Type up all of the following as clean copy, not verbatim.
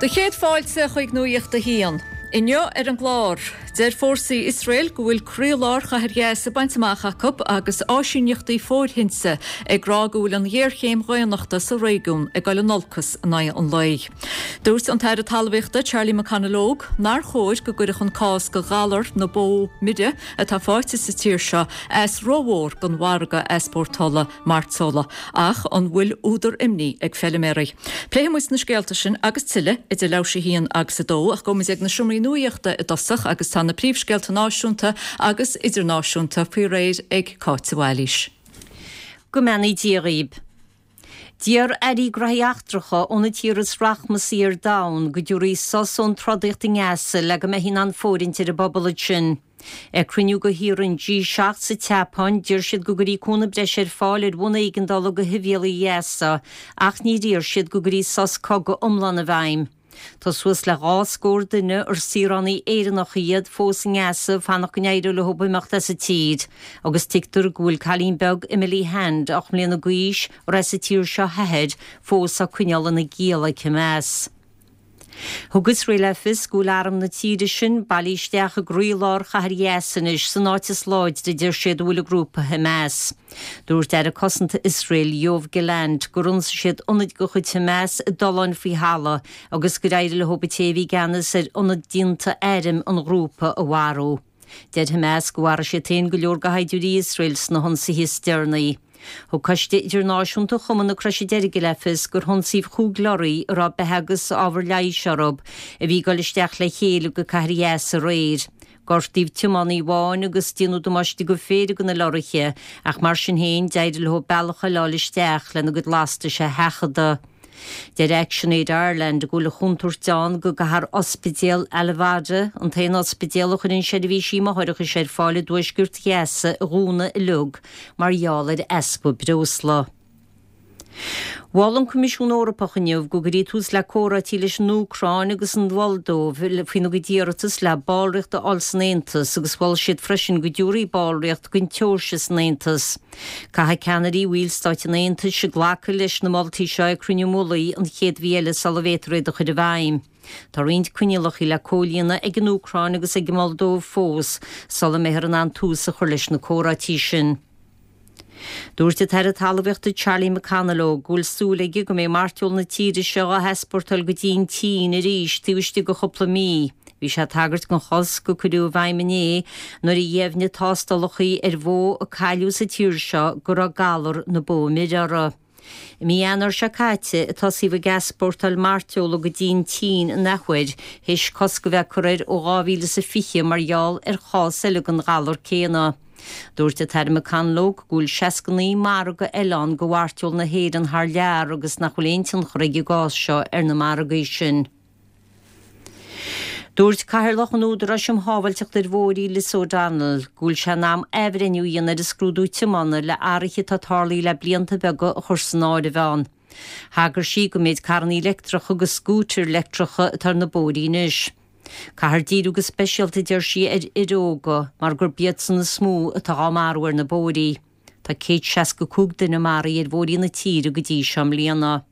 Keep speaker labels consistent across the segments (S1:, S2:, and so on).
S1: Do chéad fáilte chuig Nuacht a hAon. Inniu ar an gclár, deir fórsaí Iosrael go bhfuil croílár chathair Ghaza bainte amach acu agus áisíneachtaí fóirthinte ag rá go bhfuil an ghéarchéim dhaonnachta sa réigiún ag dul in olcas in aghaidh an lae. Dúirt an tAire Talmhaíochta Charlie McConalogue nár chóir go gcuirfeadh an cás de ghalar na bó mire atá faighte sa tír seo as rómhór don mhargadh easpórtála mairteola, ach an bhfuil údar imní ag feiliméaraí? Pléifidh muid na scéalta sin agus tuilleadh idir leathuair théis 1 agus 2, ach gabhfaidh muid ag na seomraí nuaíochta i dtosach agus tá na príomhscéalta náisiúnta agus idirnáisiúnta faoi réir ag Cáit de Bhailís.
S2: Go mbeannaí Dia dhaoib. D'iarr airí graithí eachtracha ó na tíortha is rachmasaí ar domhan go dtabharfaí sos ón trodaíocht i nGaza le go mbeifí in ann fóirithint ar an bpobal ansin. Ag cruinniú de thíortha an G7 sa tSeapáin, d'iarr siad go gcuirfí cúnamh breise ar fáil ar bhonn éigeandála do shibhialaigh Ghaza ach níor iarr siad go gcuirfí sos cogaidh iomlán i bhfeidhm. Tá suas le dhá scór duine, ar saoránaigh Éireannacha iad, fós i nGaza ag fanacht go n-éireoidh leo imeacht as an tír agus tuigtear go bhfuil cailín beag, Emily Hand, 8 mbliana d'aois, ar as an tír seo a hathair, fós á coinneáil ina giall ag Hamas. Thug Iosrael le fios go bhfuil arm na tíre sin bailithe isteach i gcroílár chathair Ghaza anois, san áit is láidre a deir siad a bhfuil an grúpa Hamas. Dúirt Aire Cosanta Iosrael, Yoav Gallant, gur ionsaigh siad ionaid de chuid Hamas i dtolláin faoi thalamh agus gur éirigh leo an té a bhí i gceannas ar ionad déanta airm an ghrúpa a mharú. Deir Hamas go mharaigh siad féin go leor de shaighdiúirí Iosrael sna hionsaithe is deireanaí. Thug Coiste Idirnáisiúnta Chumann na Croise Deirge le fios gur hionsaíodh chúig lorraí a raibh beatha agus ábhar leighis orthu a bhí ag dul isteach le chéile go cathair Ghaza aréir. Gortaíodh tiománaí amháin agus déanadh damáiste do phéire de na lorraithe ach mar sin féin d'éirigh leo bealach eile a fháil isteach lena gcuid lastais a sheachadadh. Deir ActionAid Ireland go bhfuil an chontúirt ann go gcaithfear Ospidéal Al-Awda, an t-aon ospidéal a chuireann seirbhísí máithreachais ar fáil i dtuaisceart Ghaza, a dhúnadh uilig mar gheall ar easpa breosla. Mhol an Coimisiún Eorpach inniu go gcuirfí tús le comhráití leis an Úcráin agus an Mholdóiv faoina gcuid iarratas le ballraíocht a fháil san Aontas agus mhol siad freisin go dtabharfaí ballraíocht don tSeoirsia san Aontas. Caithfidh ceannairí bhallstáit an Aontais glacadh leis na moltaí seo ag cruinniú mullaigh an chéad mhí eile sula bhféadfar iad a chur i bhfeidhm. Tá roinnt coinníollacha le comhlíonadh ag an Úcráin agus ag an Moldóiv fós sula mbeifear in ann tús a chur leis na comhráití sin. Dúirt an tAire Talmhaíochta Charlie McConalogue go bhfuil súil aige go mbeidh mairteoil na tíre seo á heaspórtáil go dtí an tSín arís taobh istigh de chúpla mí. Bhí sé ag tagairt don chosc a cuireadh i bhfeidhm inné nuair a dheimhnigh tástálacha ar bhó a cailleadh sa tír seo go raibh galar na bó mire uirthi. I mí Eanáir seo caite a tosaíodh ag easpórtáil mairteola go dtí an tSín an athuair, théis cosc a bheith curtha air ó 2020 mar gheall ar chás eile den ghalar céanna. Dúirt an tAire McConalogue go bhfuil 69 margadh eile ann do mhairteoil na hÉireann thar lear agus nach bhfuil aon tionchar ag an gcás seo ar na margaí sin. Dúirt Cathaoirleach an Údaráis um Shábháilteacht ar Bhóithre, Liz O'Donnell, go bhfuil sé in am athbhreithniú a dhéanamh ar an scrúdú tiomána le athruithe atá tarlaithe le blianta beaga a chur san áireamh ann. Thagair sí don méid carrannaí leictreacha agus scútair leictreacha atá ar na bóithrí anois. Caithfear díriú go speisialta, a deir sí, ar fhir óga mar gurb iadsan is mó atá á marú ar na bóithrí. Tá 165 duine maraithe ar bhóithrí na tíre go dtí seo i mbliana.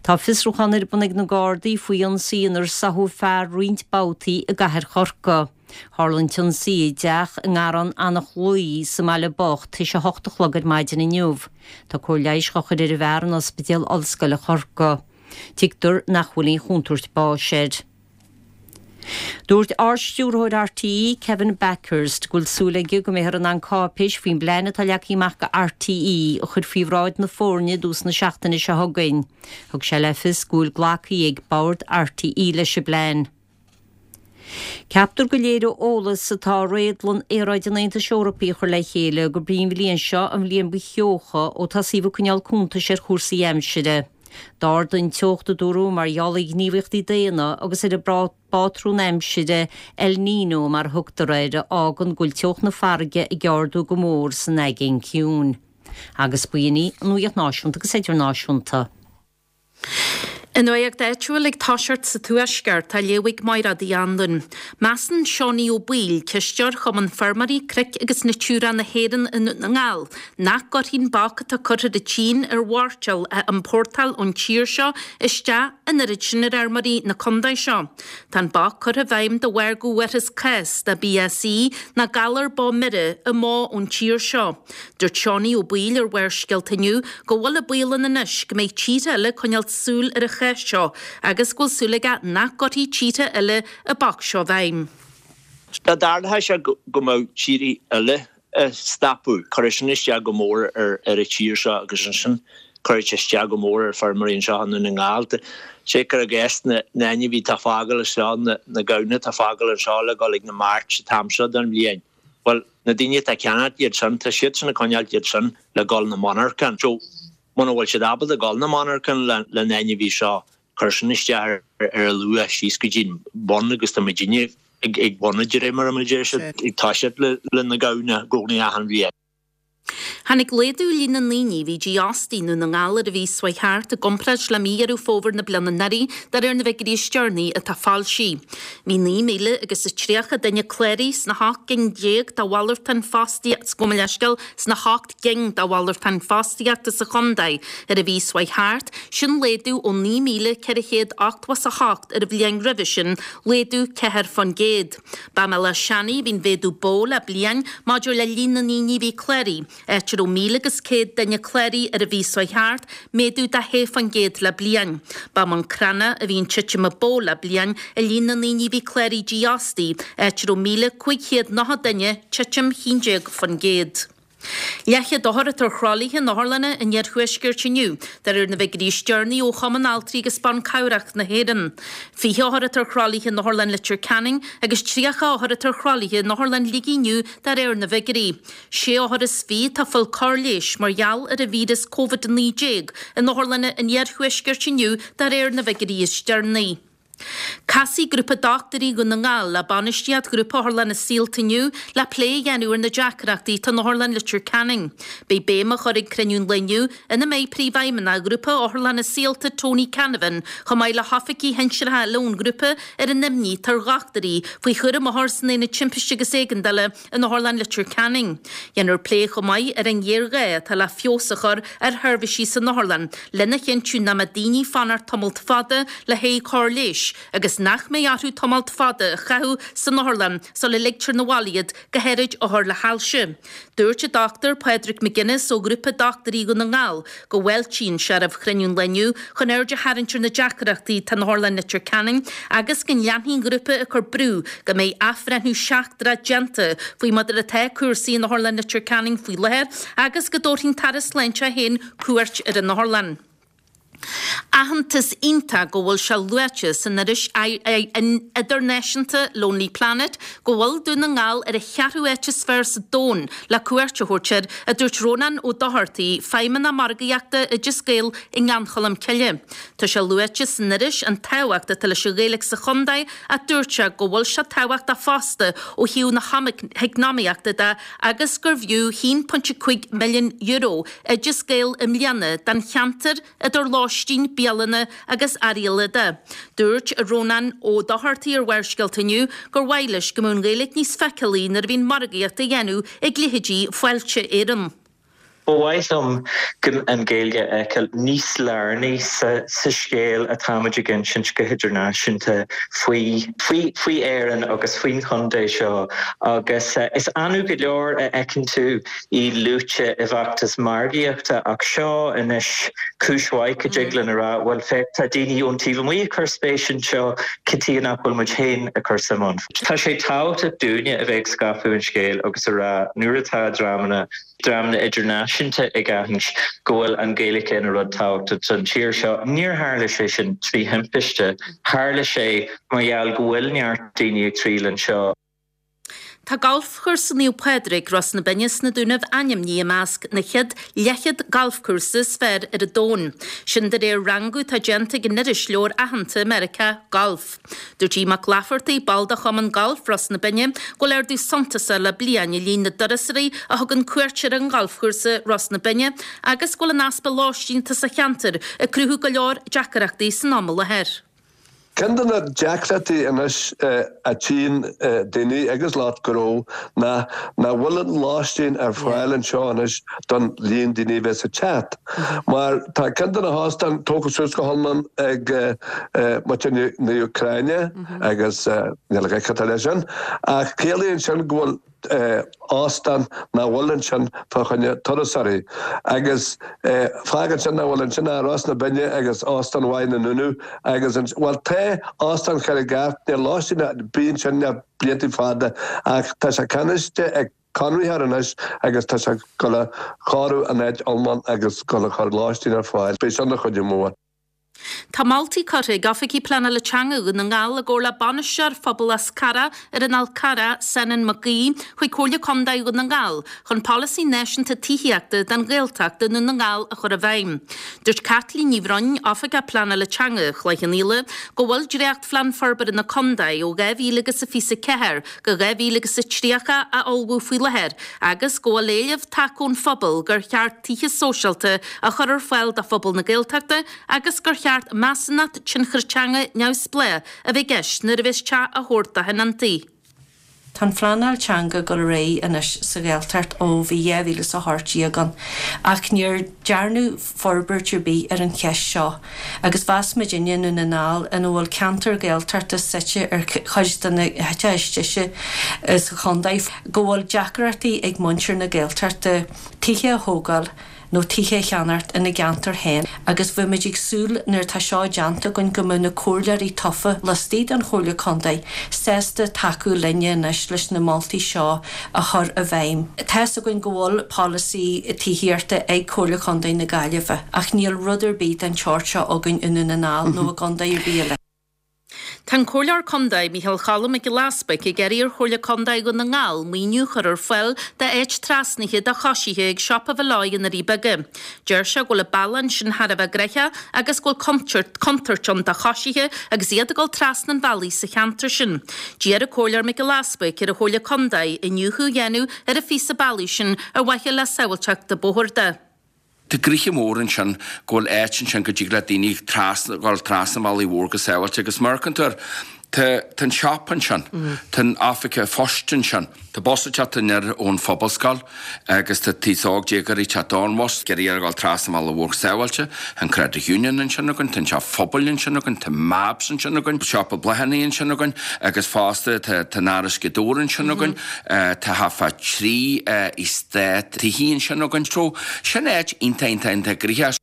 S2: Tá fiosrúchán ar bun ag na Gardaí faoi ionsaí inar sáthadh fear roinnt babhtaí i gcathair Chorcaí. Tharla an t-ionsaí i dteach i nGarrán Eanach Luí sa mBaile Bocht théis a hocht a chlog ar maidin inniu. Tá cóir leighis á chur ar an bhfear in Ospidéal Ollscoile Chorcaí. Tuigtear nach bhfuil aon chontúirt báis air. Dúirt Ard-Stiúrthóir RTÉ, Kevin Bakhurst, go bhfuil súil aige go mbeifear in ann cáipéis faoin bplean atá leagtha amach do RTÉ a chur faoi bhráid na foirne i dtús na seachtaine seo chugainn. Thug sé le fios go bhfuil glactha ag Bord RTÉ leis an bplean. Ceaptar go léireoidh eolas atá Réadlann Aeráide an Aontais Eorpaigh a chur le chéile gurb í an bhliain seo an bhliain ba theocha ó tosaíodh ag coinneáil cuntais ar chúrsaí aimsire. D'ardaigh an teocht, a dúradh, mar gheall ar ghníomhaíochtaí daonna agus ar an bpátrún aimsire El Niño mar a thugtar air, a fhágann go bhfuil teocht na farraige ag ardú go mór san Aigéan Ciúin. Agus b'in í an nuacht náisiúnta agus idirnáisiúnta.
S3: An nuacht áitiúil ag toiseacht sa Tuaisceart, á léamh ag Máiréad Uí Anluain. Measann Seonie Ó Baoill, cisteoir Chumann Feirmeoirí Cnoic agus Natura na hÉireann i nDún na nGall, nach gcuirfidh an bac atá curtha ar an tSín ar mhairteoil a iompórtáil ón tír seo isteach an oiread sin ar fheirmeoirí na contae seo. Tá an bac curtha i bhfeidhm de bharr go bhfuarthas cás de BSE ná galar bó mire i mbó ón tír seo. Dúirt Seánie Ó Baoill ar Bharrscéalta inniu go bhfuil an baol ann anois go mbeidh tíortha eile ag coinneáil súil ar an chás seo agus go bhfuil súil aige nach gcuirfidh tíortha eile an bac seo i bhfeidhm.
S4: Dá dtarlódh sé go mbeadh tíortha eile ag stopadh, cuirfidh sin isteach go mór ar an tír seo agus ansin cuirfidh sé isteach go mór ar feirmeoirí anseo i nDún na nGall. Sé cuir i gcás na n-ainmhithe atá ag fágáil anseo, na gamhna atá ag fágáil anseo le dhul ag na marts an t-am seo den bhliain. Bhuel, na daoine atá ag ceannacht iad sin, tá siadsan ag coinneáilt iad sin le dhul 'na monarchan. So, muna bhfuil siad ábalta dhul 'na monarchan le na ainmhithe seo, cuir sin isteach ar a luach síos go dtí'n bun agus tá muidinne ag bun de réir mar a deir siad, ag toiseacht le na gamhna i gcónaí achan bhliain.
S3: Tháinig laghdú i líon na ndaoine a bhí dífhostaithe i nDún na nGall ar an mhí seo chuaigh thart i gcomparáid le mí Dheireadh Fómhair na bliana anuraidh, de réir na bhfigiúirí is deireanaí atá foilsithe. Bhí 9,000 agus 30 duine cláraithe sna hocht gcinn déag de mhalartáin fostaíochta, gabh mo leithscéal, sna hocht gcinn de mhalartáin fostaíochta sa chontae ar an mhí seo chuaigh thart, sin laghdú ó 9,488 ar an bhliain roimhe sin, laghdú 4%. Ba i mBéal Átha Seanaidh a bhí an mhéadú ba mhó le bliain maidir le líon na ndaoine a bhí cláraithe, áit a raibh 1,000 agus 100 duine cláraithe ar an mhí seo chuaigh thart, méadú de 6% le bliain. Ba i mBun Cranncha a bhí an titim ba mhó le bliain i líon na ndaoine a bhí cláraithe dífhostaithe, áit a raibh 1,590 duine, titim 11%. Leathchéad othar atá ar thralaithe in otharlanna an iarthuaiscirt inniu, de réir na bhfigiúirí is deireanaí ó Chumann Altraí agus Ban Cabhrach na hÉireann. 20 othar atá ar thralaithe in Otharlann Leitir Ceanainn agus 30 othar atá ar thralaithe in Otharlann Shligigh inniu de réir na bhfigiúirí. Sé othar is fiche atá ag fáil cóir leighis mar gheall ar an víreas Covid-19 in otharlanna an iarthuaiscirt inniu de réir na bhfigiúirí is deireanaí. Casfaidh Grúpa Dochtúirí Dhún na nGall le bainistíocht Ghrúpa Otharlanna Saolta inniu le plé a dhéanamh ar na deacrachtaí atá in Otharlann Leitir Ceanainn. Beidh béim á chur ag cruinniú an lae inniu, ina mbeidh Príomhfheidhmeannach Ghrúpa Otharlanna Saolta Tony Canavan chomh maith le hoifigigh shinsearacha eile ón ghrúpa ar an imní atá ar dhochtúirí faoi chúram othar san Aonad Timpiste agus Éigeandála in Otharlann Leitir Ceanainn. Dhéanfar plé chomh maith ar an ghéarghá atá le feabhas a chur ar sheirbhísí san otharlann lena chinntiú nach mbeidh daoine ag fanacht tamalt fada le haghaidh cóir leighis agus nach mbeidh orthu tamalt fada a chaitheamh san otharlann sula ligtear 'na bhaile iad, go háirid othair le hailse. Dúirt an Dr Pádraig McGuinness ó Ghrúpa Dochtúirí Dhún na nGall go bhfáiltíonn sé roimh chruinniú an lae inniu chun aird a tharraingt ar na deacrachtaí atá in Otharlann Leitir Ceanainn agus go leanfaidh an grúpa ag cur brú go mbeidh athbhreithniú seachtrach déanta faoi mar atá cúrsaí in Otharlann Leitir Ceanainn faoi láthair agus go dtabharfaidh an tAire Sláinte féin cuairt ar an otharlann. Aitheantas iontach go bhfuil sé luaite san iris idirnáisiúnta Lonely Planet go bhfuil Dún na nGall ar an cheathrú áit is fearr sa domhan le cuairt a thabhairt air, a dúirt Rónán Ó Dochartaigh, Feidhmeannach Margaíochta Oideas Gael i nGleann Cholm Cille. Tá sé luaite san iris an tábhacht atá leis an Ghaeilge sa chontae ach dúirt sé go bhfuil sé tábhachtach fosta ó thaobh na heacnamaíochta de agus gurbh fhiú €1.5 milliún Oideas Gael i mbliana don cheantar idir lóistín, bialanna agus earraí eile de. Dúirt Rónán Ó Dochartaigh ar Bharrscéalta inniu gur mhaith leis go mbeadh an Ghaeilge níos feiceálaí nuair a bhíonn margaíocht á dhéanamh ag leithéidí Fáilte Éireann.
S5: Ba mhaith liom an Ghaeilge a fheiceáil níos lárnaí sa scéal atáimid ag insint go hidirnáisiúnta faoi faoi Éirinn agus faoin chontae seo agus is annamh go leor a fheiceann tú í luaite i bhfeachtas margaíochta ach seo anois cúis mhaith go dtig linn a rá, bhuel féach tá daoine ón taobh amuigh ag cur spéis anseo, cad chuige nach bhfuil muid féin ag cur suim ann? Tá sé tábhachtach dúinne a bheith ag scaipeadh an scéil agus a rá nuair atá dreamanna, dreamanna idirnáisiúnta ag aithint go bhfuil an Ghaeilge ina rud tábhachtach don tír seo, níor tharla sé sin trí thimpiste, tharla sé mar gheall go bhfuil neart daoine ag triall anseo.
S3: Tá Galfchúrsa Naomh Pádraig, Ros na Binne sna Dúnaibh ainmnithe i measc na chéad leathchéad galfchúrsa is fearr ar an domhan. Sin de réir rangú atá déanta ag an irisleabhar aitheanta i Meiriceá, Golf. Dúirt Aodh Mac Laifeartaigh, ball de Chumann Gailf Ros na Binne, go bhfuil ardú suntasach le bliain i líon na dturasóirí a thugann cuairt ar an ghalfchúrsa Ros na Binne agus go bhfuil an easpa lóistín atá sa cheantar ag cruthú go leor deacrachtaí san am i láthair.
S6: Ceann de na deacrachtaí anois a tchíonn daoine agus lucht gnó ná nach bhfuil an lóistín ar fáil anseo anois don líon daoine a bheas ag teacht. Mar tá ceann de na hóstáin tógtha suas go hiomlán ag muintir na hÚcráine agus níl a dhath leis sin ach ciallaíonn sin go bhfuil óstán nach bhfuil ansin fá choinne turasóirí. Agus fágann sin nach bhfuil ansin ach Ros na Binne agus Óstán mhaith na nDúnaibh agus an, bhuel tá Óstán Charraig Airt, níl lóistín ar bith ansin le blianta fada ach tá sé ceannaithe ag conraitheoir anois agus tá sé ag dul a chóiriú an áit iomlán agus dul a chur lóistín ar fáil. Beidh sin ina chuidiú mór.
S3: Tá moltaí curtha ag Oifigigh Pleanála Teanga Dhún na nGall i gcomhar le Bainisteoir Phobal Fhás Carrach ar an Fhál Carrach, Senan Mac Aoidh, chuig Comhairle Contae Dhún na nGall chun polasaí náisiúnta tithíochta don Ghaeltacht i nDún na nGall a chur i bhfeidhm. Dúirt Caitlín Ní Bhroin, Oifigeach Pleanála Teanga Chloich Cheann Fhaola, go bhfuil dréachtphlean forbartha na contae ó 2024 go 2030 á ullmhú faoi láthair agus go bhfuil éileamh tagtha ón phobal gur cheart tithe sóisialta a chur ar fáil do phobal na Gaeltachta agus gur cheart measúnacht tionchair teanga neamhspleách a bheith i gceist nuair a bheas teach á thabhairt do thionóntaí.
S7: Tá an phleanáil teanga ag dul ar aghaidh anois sa Ghaeltacht ó bhí 2018 ann ach níor dearnadh forbairt ar bith ar an cheist seo agus mheas muidinne i nDún na nGall ina bhfuil ceantar Gaeltachta suite ar chuid de na háiteacha is deise sa chontae go bhfuil deacrachtaí ag muintir na Gaeltachta tithe a thógáil nó tithe a cheannacht ina gceantar féin agus bheadh muid ag súil nuair atá seo déanta againn go mbeadh na comhairleoirí tofa laistigh den Chomhairle Contae sásta tacú linne anois leis na moltaí seo a chur i bhfeidhm. Tá's againn go bhfuil polasaí tithíochta ag Comhairle Contae na Gaillimhe ach níl rud ar bith den tseort seo againn i nDún na nGall nó i gcontae ar bith eile.
S3: Tá an Comhairleoir Contae, Micheál Cholm Mac Giolla Easbuig, ag iarraidh ar Chomhairle Contae Dhún na nGall maoiniú a chur ar fáil d'áit trasnaithe do choisithe ag Siopa Mholloy i nDoirí Beaga. Deir sé go bhfuil an bealach ansin thar a bheith gnoitheach agus go bhfuil contúirt ann do choisithe agus iad ag dul trasna an bhealaigh sa cheantar sin. D'iarr an Comhairleoir Mac Giolla Easbuig ar an Chomhairle Contae iniúchadh a dhéanamh ar an phíosa bealaigh sin ar mhaithe le sábháilteacht an bhóthair de.
S8: Tá gnoithe mór ansin go bhfuil áit ansin go dtig le daoine trasna, dhul trasna an bhealaigh mhór go sábháilte agus mar a fheiceann tú air, tá, tá an siopa ansin, tá an oifig phoist ansin, tá bus ag teacht aniar ón Phobalscoil agus tá aos óg déagóirí ag teacht ón bhus, ag iarraidh a dhul trasna an bhealaigh mhór go sábháilte, tá an Credit Union ansin againn, tá an teach phobail ansin againn, tá Mabs ansin againn, siopa bláthanna ansin againn agus fosta tá, tá an Áras Ghaoth Dobhair ansin againn. Tá thart fá 3 eastát tithe ansin againn so sin áit iontach iontach iontach gnoitheach.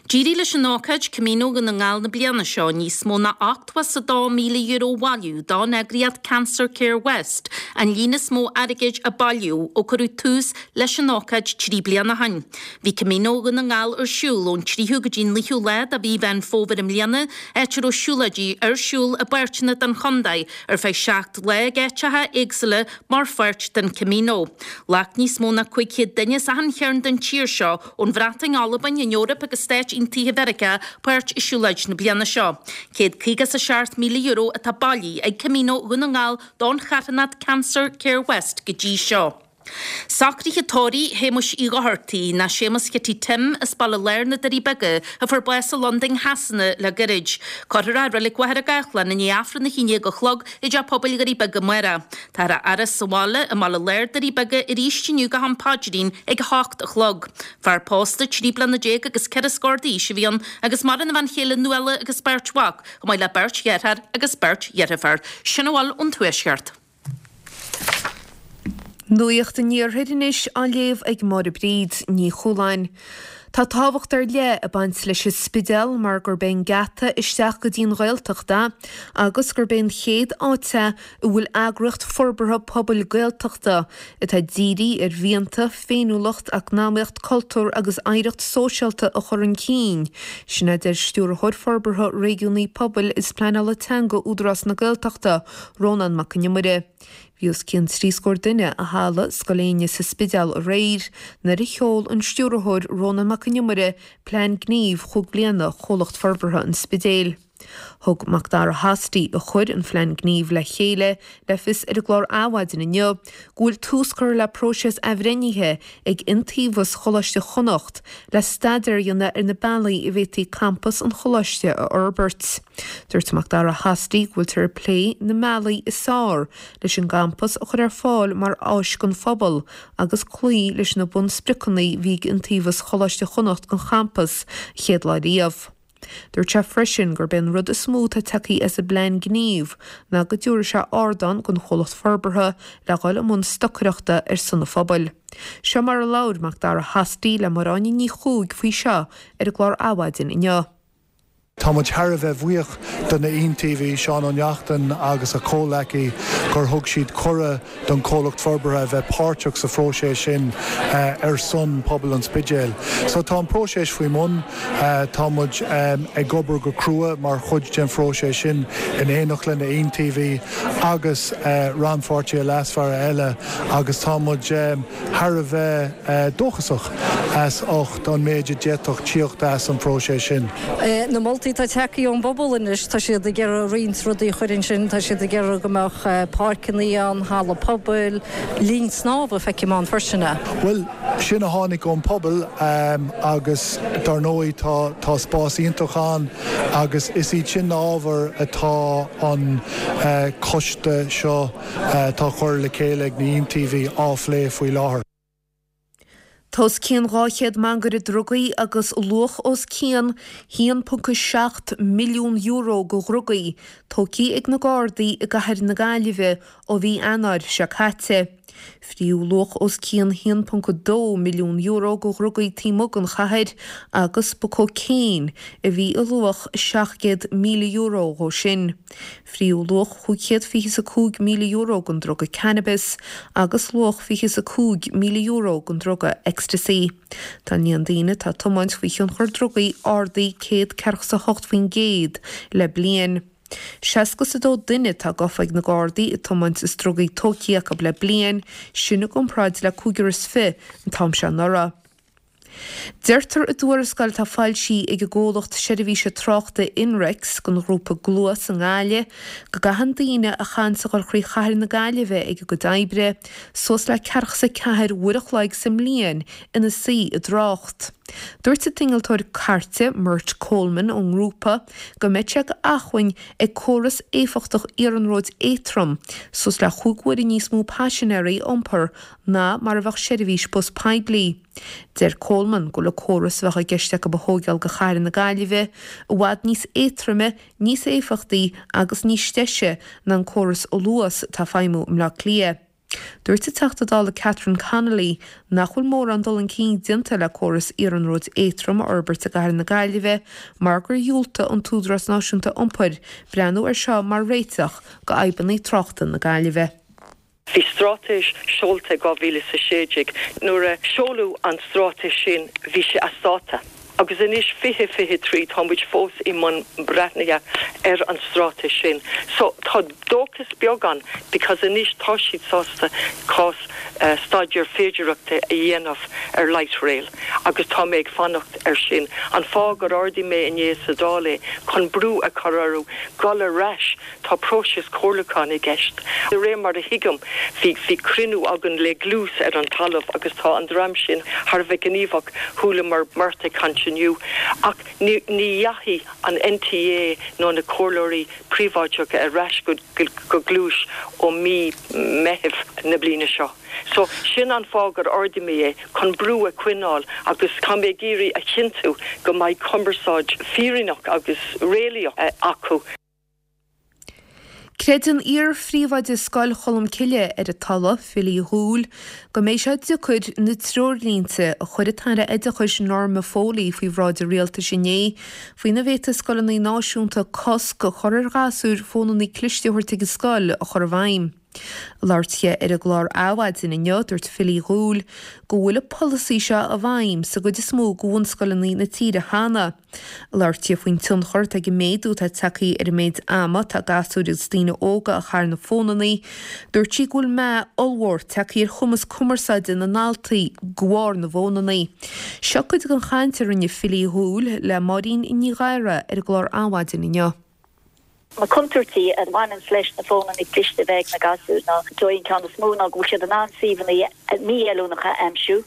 S3: D'éirigh leis an ócáid Camino Dhún na nGall na bliana seo níos mó ná €82,000 a bhailiú don eagraíocht Cancer Care West, an líon is mó airgid a bailíodh ó cuireadh tús leis an ócáid 3 bliana ó shin. Bhí Camino Dhún na nGall ar siúl ón 3ú go dtí an 9ú lá de mhí Mheán Fómhair i mbliana, áit a raibh siúlóidí ar siúl i bpáirteanna den chontae ar feadh 7 lá ag áiteacha éagsúla mar pháirt den Camino. Ghlac níos mó ná 500 duine as achan chearn den tír seo, ón Bhreatain, Albain, an Eoraip agus Stáit Aontaithe Mheiriceá, páirt i siúlóid na bliana seo. €157,000 atá bailithe ag Camino Dhún na nGall don charthanacht Cancer Care West go dtí seo. Socruithe tórraimh Shéamuis Uí Dhochartaigh, nó Séamus Chití Tim, as Baile Láir na Doirí Beaga, a fuair bás i Londain Shasana le gairid. Cuirfear é i Reilig Mhachaire Gathlán i ndiaidh Aifreann 11 a chlog i dTeach Pobail Dhoirí Beaga amárach. Táthar á fhaire sa bhaile i mBaile Láir Doirí Beaga arís inniu go ham paidrín ag 8 a chlog. Fear pósta, 13 bliana agus ceithre scór d'aois a bhí ann agus maireann a bhean chéile Nuala agus beirt mhac, chomh maith le beirt dheartháir agus beirt dheirfiúr. Sin a bhfuil ón Tuaisceart.
S9: Nuacht an Iarthair anois á léamh ag Máire Bríd Ní Chualáin. Tá tábhacht ar leith ag baint leis an Spidéal mar gurb é an geata isteach go dtí an Ghaeltacht é agus gurb é an chéad áit é a bhfuil eagraíocht forbartha pobail Gaeltachta atá dírithe ar mhianta, féiniúlacht, eacnamaíocht, cultúr agus oidhreacht sóisialta a chur chun cinn. Sin a deir Stiúrthóir Forbartha Réigiúnaí Pobail is Pleanála Teanga Údarás na Gaeltachta, Rónán Mac Con Iomaire. Bhí os cionn 30 scór duine i halla Scoil Éinne sa Spidéal aréir nuair a sheol an Stiúrthóir Rónán Mac Con Iomaire plean gnímh chúig bliana Chomhlacht Forbartha an Spidéil. Thug Macdara Hosty, a chuir an phlean gnímh le chéile, le fios ar an gclár Adhmhaidin inniu go bhfuil tús curtha le próiseas athbhreithnithe ag Iontaobhas Choláiste Chonnacht le staidéar a dhéanamh ar na bealaí a bhféadfaí campas an choláiste a fhorbairt. Dúirt Macdara Hosty go bhfuiltear ag plé na mbealaí is fearr leis an gcampas a chur ar fáil mar áis don phobal agus cloí leis na bunspriocanna a bhí ag Iontaobhas Choláiste Chonnacht don champas an chéad lá riamh. Dúirt sé freisin gurb é an rud is mó atá tagtha as an bplean gnímh ná go dtabharfaidh sé ardán don chomhlacht forbartha le dhul i mbun stocaireachta ar son an phobail. Seo mar a labhair Macdara Hosty le Máire Áine Ní Chuaig faoi seo ar an gclár Adhmhaidin inniu.
S10: Tá muid thar a bheith bhuíoch do na hiontaobhaithe, Seán Ó Neachtain agus a chomhleacaí, gur thug siad cuireadh don chomhlacht forbartha a bheith páirteach sa phróiseas sin ar son pobal an Spidéil. So tá an próiseas faoi mbun, tá muid ag obair go crua mar chuid den phróiseas sin in éineacht le na hiontaobhaithe agus rannpháirtithe leasmhara eile agus tá muid thar a bheith dóchasach as ucht an méid a d'fhéadfadh tíocht as an phróiseas sin.
S11: Na moltaí atá tagtha ón bpobal anois, tá siad ag iarraidh roinnt rudaí a chur ansin, tá siad ag iarraidh go mbeadh páirceanna ann, halla pobail, linn snámha, feicim ann freisin.
S10: Bhuel, sin a tháinig ón pobal agus dar ndóigh tá tá spás iontach ann agus is iad sin na ábhair atá an coiste seo atá curtha le chéile ag na hiontaobhaithe á phlé faoi láthair.
S9: Tá os cionn 200 mangaire drugaí agus luach os cionn €1.7 milliún de dhrugaí tógtha ag na Gardaí i gcathair na Gaillimhe ó mhí Eanáir seo caite. Fríodh luach os cionn €1.2 milliún de dhrugaí taobh amuigh den chathair agus ba cócaon a bhí i luach €700,000 dhó sin. Fríodh luach €525,000 den druga cannabis agus luach €25,000 den druga ecstasy. Tá an líon daoine atá ag tiomáint faoi thionchar drugaí ardaithe 148% le bliain. 62 duine atá gafa ag na Gardaí ag tiomáint is drugaí tógtha acu le bliain, sin i gcomparáid le cúigear is fiche an t-am seo anuraidh. Deirtear i dtuarascáil atá foilsithe ag an gcomhlacht seirbhíse tráchta Inrex don ghrúpa Gluas i nGaillimh go gcaitheann daoine a chaitheanns a dhul thrí chathair na Gaillimhe ag a gcuid oibre suas le ceathracha is a ceathair uair a chloig sa mbliain ina suí i dtrácht. Dúirt an t-innealtóir cairte Mert Coleman ón ngrúpa go mbeidh sé d'acmhainn ag córas éifeachtach iarnróid éadtrom suas le chúig huaire níos mó paisinéirí a iompar ná mar a bheadh seirbhís bus poiblí. Deir Coleman go bhfuil an córas a bheadh i gceist acu a thóigeáil do chathair na Gaillimhe i bhfad níos éadtroime, níos éifeachtaí agus níos deise ná an córas Luas atá ag feidhmiú i mBleá Cliath. Dúirt an Teachta Dála Catherine Connolly nach bhfuil mórán dul chun cinn déanta le córas iarnróid éadtrom a fhorbairt i gcathair na Gaillimhe mar gur dhiúltaigh an tÚdarás Náisiúnta Iompair breathnú air seo mar réiteach do fhadhbanna tráchta na Gaillimhe.
S12: Bhí straitéis seolta i 2016. Nuair a seoladh an straitéis sin bhí sé as dáta agus anois 2023 tá muid fós i mbun breathnaithe ar an straitéis sin. So tá dóchas beag ann because anois tá siad sásta cás staidéar féidearthachta a dhéanamh ar light rail agus tá mé ag fanacht ar sin. An fáth gur ardaigh mé inné sa Dáil é chun brú a chur orthu dul ar ais Tá próiseas comhairliúcháin i gceist. De réir mar a thuigim, bhí bhí cruinniú againn le Gluas ar an talamh agus tá an dream sin thar a bheith gníomhach, chualamar Mert ag caint inniu. Ach ní ní dheachaigh an NTA nó na comhairleoirí príobháideacha ar ais go go Gluais ó mí Meithimh na bliana seo. So, sin an fáth gur ardaigh mé é, chun brú a choinneáil agus tá mé ag iarraidh a chinntiú go mbeidh cumarsáid fírinneach agus réalaíoch acu.
S9: Creideann iar-phríomhoide Scoil Cholmcille ar an Tulaigh, Philly Dhúill, go mbeidh sé deacair na treoirlínte a chuir an tAire Oideachais Norma Foley faoi bhráid an Rialtais inné faoina bhféadfaidh scoileanna náisiúnta cosc a chur ar ghasúir fónanna cliste a thabhairt ag an scoil a chur i bhfeidhm. Ag labhairt di ar an gclár Adhmhaidin inniu, dúirt Philly Dhúill go bhfuil an polasaí seo i bhfeidhm sa gcuid is mó de bhunscoileanna na tíre cheana. Labhair sí faoin tionchar atá ag an méadú atá tagtha ar an méid ama atá gasúir agus daoine óga a chaitheamh ar na fónanna. Dúirt sí go bhfuil meath ollmhór tagtha ar chumas cumarsáide na ndaltaí de bharr na bhfónanna. Seo cuid den chaint a rinne Philly Dhúill le Máirín Ní Ghadhra ar an gclár Adhmhaidin inniu.
S13: Na contúirtí a bhaineanns leis na fónanna cliste a bheith ag na gasúir ná, is dóigh an ceann is mó ná go bhfuil siad in ann suíomhanna mí-fheiliúnacha a aimsiú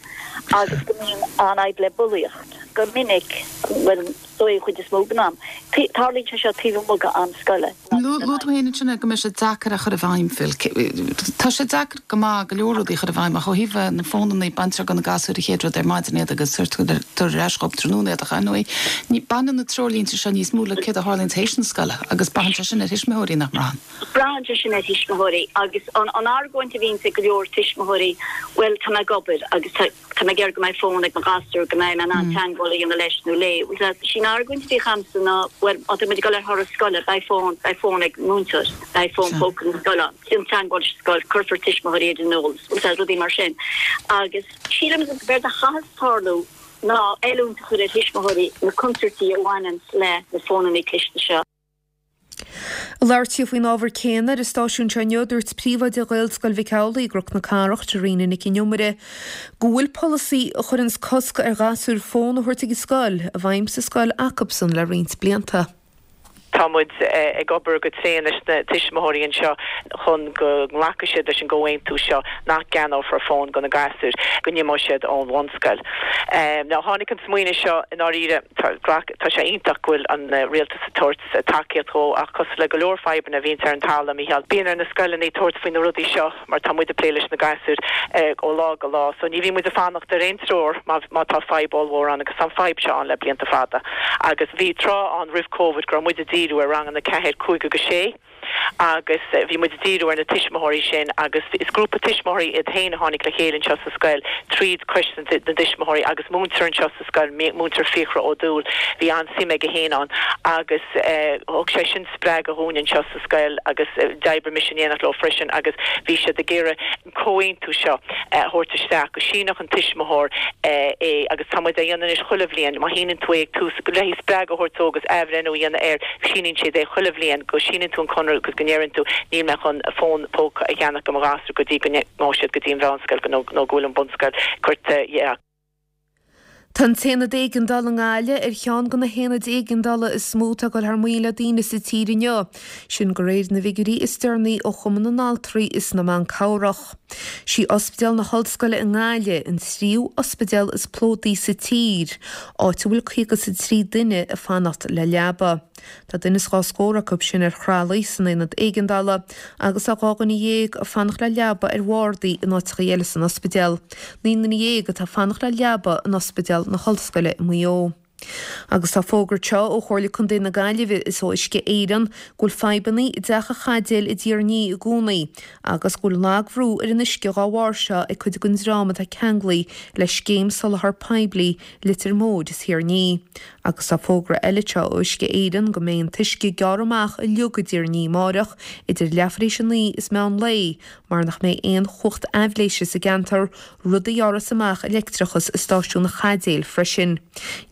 S13: agus go mbíonn an-fhadhb le bulaíocht. Go minic, bhuel, is dóigh an chuid is mó den am, tarlaíonn sé seo taobh amuigh de am scoile.
S14: Luaigh tú féin ansin go mbeidh sé deacair a chur i bhfeidhm, Phil. Tá sé deacair go maith go leor rudaí a chur i bhfeidhm ach ó thaobh na fónanna, baintear de na gasúir an chéad rud ar maidin iad agus tabhartar ar ais dhóibh tráthnóna iad ach ar ndóigh ní, baineann na treoirlínte seo níos mó le céard a tharlaíonn tar éis na scoile agus braitheann sé sin ar thuismitheoirí, nach mbraitheann?
S13: Braitheann sé sin ar thuismitheoirí agus an argóint a bhíonns ag go leor tuismitheoirí, bhuel tá mé ag obair agus tá, Tá mé ag iarraidh go mbeidh fón ag mo ghasúr, go mbeidh mé in ann teagmháil a dhéanamh leis nó léi. Bhuel, sí an argóint a bhíodh a'msa ná, bhuel, má tá muid ag dul ar thuras scoile, beidh fón, beidh fón ag múinteoir, beidh fón póca na scoile ann, déan teagmháil leis an scoil, cuirfear tuismitheoirí ar an eolas, bhuel, rudaí mar sin. Agus sílim gurb éard a chaithfeas tarlú ná oiliúint a chur ar thuismitheoirí na contúirtí a bhaineanns le na fónanna cliste seo.
S9: Ag labhairt di faoin ábhar céanna ar an stáisiún seo inniu, dúirt príomhoide Ghaelscoil Mhic Amhlaigh i gCnoc na Cathrach, Therena Nic an Iomaire, go bhfuil polasaí a chuireanns cosc ar ghasúir fón a thabhairt ag an scoil i bhfeidhm sa scoil acubsan le roinnt blianta.
S15: Tá muid ag obair go tréan leis na tuismitheoirí anseo chun go nglacfaidh siad leis an gcomhaontú seo nach gceannófar fón do na gasúir go n-imeoidh siad ón bhunscoil. Now tháinig an smaoineamh seo i ndáiríre, tá sé iontach go bhfuil an rialtas ag tabhairt tacaíocht dhó ach cosúil le go leor fadhbanna a bhíonns ar an talamh, a Mhícheáil, bíonn ar na scoileanna tabhairt faoi na rudaí seo mar tá muid ag plé leis na gasúir ó lá go lá so ní bhíonn muid ag fanacht ar aon treoir má má tá fadhb ollmhór ann agus tá an fadhb seo ann le blianta fada agus bhí tráth ann roimh Covid go raibh muid ag díriú ar ranganna 4, 5 agus 6. agus bhí muid ag díriú ar na tuismitheoirí sin agus is grúpa tuismitheoirí iad féin a tháinig le chéile anseo sa scoil tríd Coiste na dTuismitheoirí agus múinteoir anseo sa scoil, Múinteoir Fiachra Ó Dúill, bhí an-suim aige féin ann agus thug sé sin spreagadh dhúinn anseo sa scoil agus d'oibrigh mise in éineacht leo freisin agus bhí siad ag iarraidh an comhaontú seo a thabhairt isteach, go síneodh an tuismitheoir é agus tá muid á dhéanamh anois chuile bhliain, má shíneann tú é ag tús, le spreagadh a thabhairt dó agus athbhreithniú a dhéanamh air, síníonn siad é chuile bhliain, go síneann tú an conradh agus go ndeireann tú níl mé chun fón póca a cheannach do mo ghasúr go dtí go ngabhfaidh siad go dtí an mheánscoil nó go bhfuil an bunscoil curtha dhe.
S9: Tá an tAonad Éigeandála i nGaillimh ar cheann de na haonaid éigeandála is mó atá ag dul thar maoil le daoine sa tír inniu, sin de réir na bhfigiúirí is deireanaí ó Chumann na nAltraí is na mBan Cabhrach. Sí Ospidéal na hOllscoile i nGaillimh an tríú ospidéal is plódaí sa tír, áit a bhfuil 53 duine ag fanacht le leaba. Tá duine is dhá scór acu sin ar thralaí san aonad éigeandála agus tá 12 dhuine ag fanacht le leaba ar bhardaí in áiteachaí eile san ospidéal. 19 nduine atá ag fanacht le leaba in Ospidéal na hOllscoile i Maigh Eo. Agus tá fógra anseo ó Chomhairle Contae na Gaillimhe is ó Uisce Éireann go bhfuil fadhbanna i dTeach an Chaidéil i dTír an Fhia i gcónaí agus go bhfuil lagbhrú ar an uisce dhá bharr seo ag cuid den dream atá ceanglaithe le scéim soláthar poiblí Leitir Móir is Thír an Fhia. Agus tá fógra eile anseo ó Uisce Éireann go mbeidh an t-uisce gearrtha amach uilig i dTír an Fhia amáireach idir leathuair théis a 9 is meán lae mar nach mbeidh aon chumhacht aibhléise sa gceantar, rud a ghearrfas amach an leictreachas i stáisiún an Chaidéil freisin.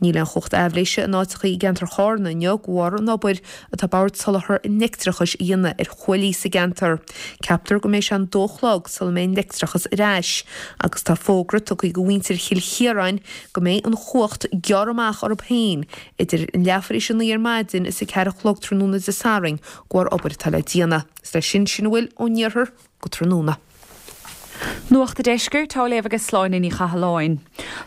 S9: Níl aon chumhacht aibhléise in áiteachaí i gceantar Chárna inniu de bharr an obair atá Bord Soláthair an Leictreachais a dhéanamh ar chuaillí sa gceantar. Ceaptar go mbeidh sé an 2 a chlog sula mbeidh an leictreachas ar ais agus tá fógra tugtha do mhuintir Chill Chiaráin go mbeidh an chumhacht gearrtha amach orthu féin idir leathuair tar éis a 9 ar maidin is a 4 a chlog tráthnóna Dé Sathairn de bharr obair atá le déanamh. Is leis sin, sin a bhfuil ón iarthar go tráthnóna.
S16: Nuacht a' Deiscirt á léamh ag Sláine Ní Chathalláin.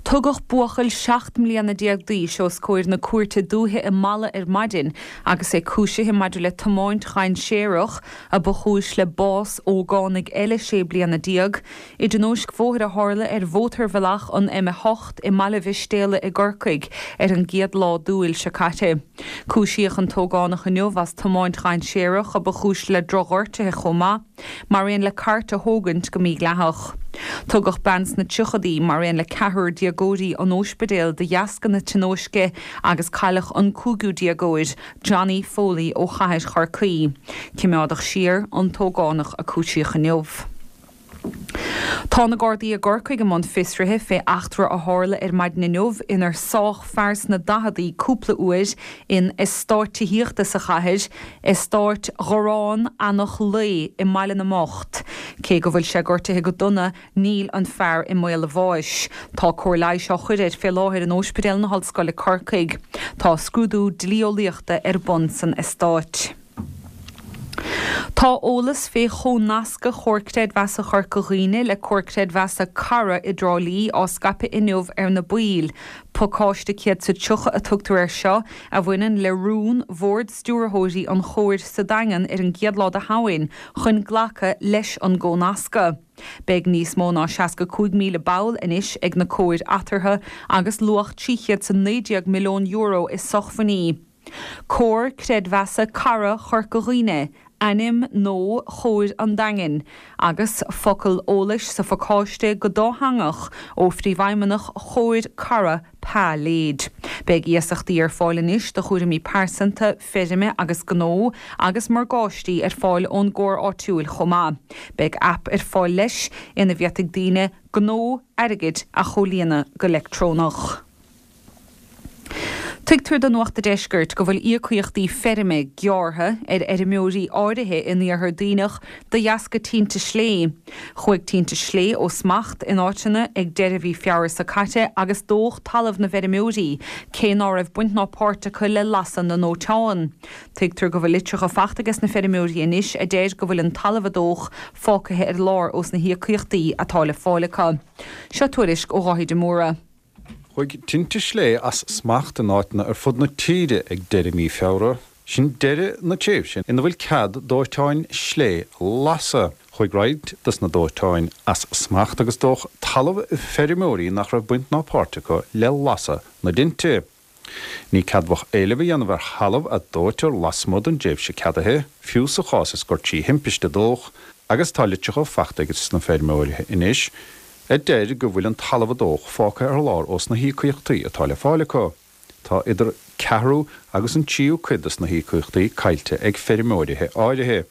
S16: Tugadh buachaill 17 mbliana d'aois os comhair na Cúirte Dúiche i Mala ar maidin agus é cúisithe maidir le tiomáint dhainséarach a ba chúis le bás ógánaigh eile 16 bliana i dtionóisc bhóthair a tharla ar mhótarbhealach an M8 i mBaile Mhistéala i gCorcaigh ar an gcéad lá d'Iúil seo caite. Cúisíodh an t-ógánach inniu as tiomáint dhainséarach a ba chúis le drochghortuithe chomh maith, mar aon le cairt a thógaint go mídhleathach. Tugadh bean sna tríochadaí mar aon le ceathrar déagóirí 'on óispidéal de dheasca na tionóisce agus cailleadh an cúigiú déagóir, Johnny Foley ó chathair Chorcaí. Cimeádadh siar an t-ógánach a cúisíodh inniu. Tá na Gardaí i gCorcaigh i mbun fiosraithe fé eachtra a tharla ar maidin inniu inar sádh fear sna daicheadaí cúpla uair in eastát tithíochta sa chathair, Eastát Ghorrán Eanach Lao i mBaile na mBocht. Cé go bhfuil sé gortaithe go dona, níl an fear i mbaol a bháis. Tá cóir leighis á chur air fé láthair in Óispidéal na hOllscoile Corcaigh. Tá scrúdú dlí-eolaíochta ar bun san eastát. Tá eolas fé chomhnascadh Chomhar Creidmheasa Chorca Dhuibhne le Comhar Creidmheasa Cara i dTrá Lí á scaipeadh inniu ar na baill. Pacáiste 130 a tugtar air seo, a bhaineann le rún Bhord Stiúrthóirí an Chomhair sa Daingean ar an gcéad lá de Shamhain chun glacadh leis an gcomhnascadh. Beidh níos mó ná 65,000 ball anois ag na comhair eatarthu agus luach €319 milliún i sochmhainní. Comhar Creidmheasa Cara Chorca Dhuibhne, ainm nó Chomhair an Daingin, agus focal eolais sa phacáiste go dátheangach ó Phríomhfheidhmeannach Chomhair Cara, Pa Lade. Beidh iasachtaí ar fáil anois do chúraimí pearsanta, feirme agus gnó agus morgáistí ar fáil ón gcomhar áitiúil chomh maith. Beidh aip ar fáil leis ina bhféadfaidh daoine gnó airgid a chomhlíonadh go leictreonach. Tuigtear do Nuacht a' Deiscirt go bhfuil íocaíochtaí feirme gearrtha ar fheirmeoirí áirithe in Iarthar Duibhneach de dheasca tinte slé. Chuaigh tinte slé ó smacht in áiteanna ag deireadh mhí Feabhra seo caite agus dódh talamh na bhfeirmeoirí, cé ná raibh baint ná páirt acu le lasadh na ndóiteán. Tuigtear go bhfuil litreacha fachta ages na feirmeoirí anois a deir go bhfuil an talamh a dódh fágtha ar lár ós na híocaíochtaí atá le fáil acu. Seo tuairisc ó Dháithí de Mórdha.
S17: Chuaigh tinte slé as smacht in áiteanna ar fud na tíre ag deireadh mí Feabhra. Sin deireadh na tréimhse ina bhfuil cead dóiteáin slé a lasadh. Chuaigh roinnt dos na dóiteáin as smacht agus dódh talamh feirmeoirí nach raibh baint ná páirt acu le lasadh na dtinte. Ní ceadmhach éileamh a dhéanamh ar thalamh a dóitear lasmuigh den dtréimhse ceadaithe, fiú sa chás is gur trí thimpiste a dódh, agus tá litreacha fachta ages na feirmeoirí anois a deir go bhfuil an talamh a dódh fágtha ar lár ós na híocaíochtaí atá le fáil acu. Tá idir ceathrú agus an tríú cuid des na híocaíochtaí caillte ag feirmeoirithe áirithe.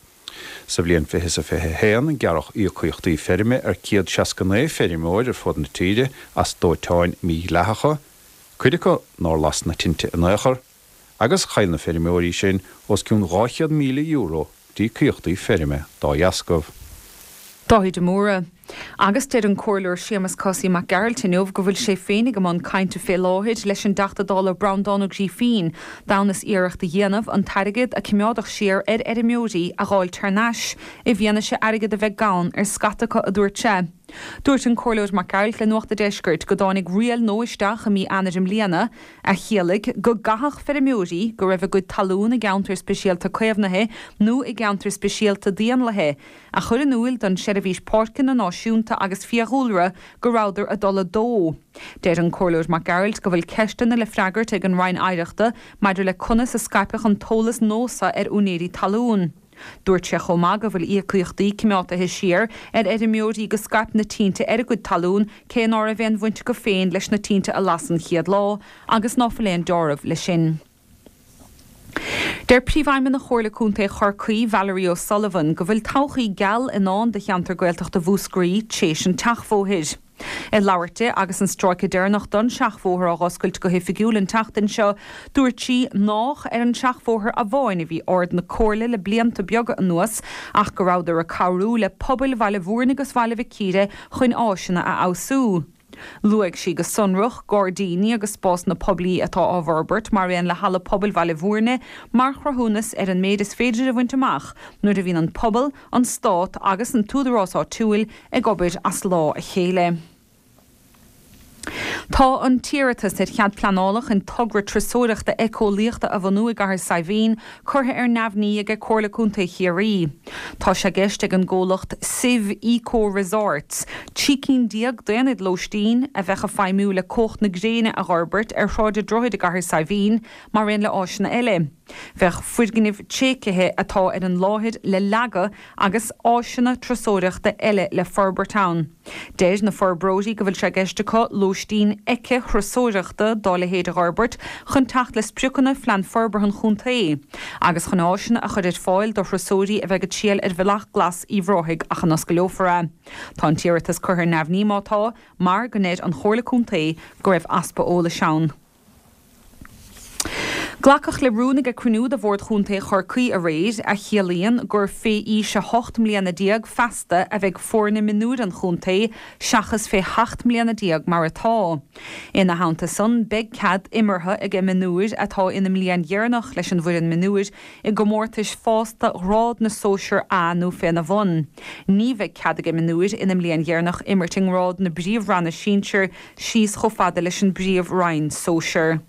S17: Sa bhliain 20 is 21, gearradh íocaíochtaí feirme ar 169 feirmeoir ar fud na tíre as dóiteáin mhídhleathacha, cuid acu nár las na tinte in aon chor, agus chaill na feirmeoirí sin os cionn €200,000 d'íocaíochtaí feirme dá dheascaibh.
S16: Dáithí de Mórdha. Agus deir an Comhairleoir Séamus Cosaí Mac Gearailt inniu go bhfuil sé féin ag i mbun cainte fé láthair leis an dTeachta Dála Breandán Ó Grífín d'fhonn is iarracht a dhéanamh an t-airgead a cimeádadh siar ar fheirmeoirí a dh'fháilt thar n-ais i bhfianaise airgead a bheith gann ar scata acu a dúirt sé. Dúirt an Comhairleoir Mac Gearailt le Nuacht a' Deiscirt go dtáinig riail nua isteach i mí Eanáir i mbliana a chiallaigh go gcaithfeadh feirmeoirí go raibh a gcuid talún i gceantar speisialta caomhnaithe nó i gceantar speisialta d'éanlaithe a chur in iúil don tSeirbhís Páirceanna Náisiúnta agus Fiadhúlra go rabhadar ag dul a dó. Deir an Comhairleoir Mac Gearailt go bhfuil ceisteanna le freagairt ag an Roinn Oidhreachta maidir le conas a scaipeadh an t-eolas nua seo ar úinéirí talún. Dúirt sé chomh maith go bhfuil íocaíochtaí cimeátaithe siar ar fheirmeoirí go scaip na tinte ar a gcuid talún cé ná raibh aon bhaint acu féin leis na tinte a las an chéad lá agus ná fuil aon deáramh leis sin. Deir Príomhfheidhmeannach Chomhairle Contae Chorcaí, Valerie O'Sullivan, go bhfuil todhchaí geal i ndán do cheantar Gaeltachta Mhúscraí tréis an tseachbhóthair. Ag labhairt di agus an stráice deireanach don seachbhóthar á dh'oscailt go hoifigiúil an tseachtain seo, dúirt sí nách ar an seachbhóthar amháin a bhí aird na Comhairle le blianta beaga anuas ach go rabhadar ag cabhrú le pobail Bhaile Mhúirne agus Bhaile Mhic Íre chun áiseanna a fheabhsú. Luaigh sí go sonrach gairdíní agus spásanna poiblí atá á bhforbairt mar aon le Halla Pobail Bhaile Mhúirne mar chruthúnas ar an méid is féidir a bhaint amach nuair a bhíonn an pobal, an Stát agus an t-údarás áitiúil ag obair as lámh a chéile. Tá an t-iarratas ar chead pleanála chun togra turasóireachta éiceolaíochta a bhunú i gCathair Saidhbhín curtha ar neamhní aige Comhairle Contae Chiarraí. Tá sé i gceist ag an gcomhlacht Sive Eco Resorts 13 cinn d'aonaid lóistín a bheadh ag feidhmiú le cumhacht na gréine a dh'fhorbairt ar Shráid an Droichid i gCathair Saidhbhín mar aon le áiseanna eile. Bheadh foirgnimh tréigthe atá ar an láthair le leagadh agus áiseanna turasóireachta eile le forbairt ann. Deir na forbróirí go bhfuil sé i gceist acu lóistín éiceathurasóireachta dá leithéid a dh'fhorbairt chun teacht le spriocanna Phlean Forbartha an Chontae agus chun áiseanna a chur ar fáil do thurasóirí a bheidh ag triall ar Bhealach Glas Uíbh Ráthaigh ach a n-oscaileofar é. Tá an t-iarratas curtha ar neamhní má tá, mar go ndeir an Chomhairle Contae go raibh easpa eolais ann. Glacadh le rún ag cruinniú de Bhord Chontae Chorcaí aréir, a chiallaíonn gur fé aois 18 mbliana feasta a bheidh foirne mionúir an chontae, seachas fé sheacht mbliana déag mar atá. Ina theannta san, beidh cead imeartha ag mionúir atá ina mbliain dheireanach leis an bhfoireann mionúir i gcomórtais fásta ghrád na sóisear A nó féna bhun. Ní bheidh cead ag mionúir ina mbliain dheireanach imirt i ngrád na bpríomhranna sinsir síos chomh fada leis an bpríomhroinn sóisear.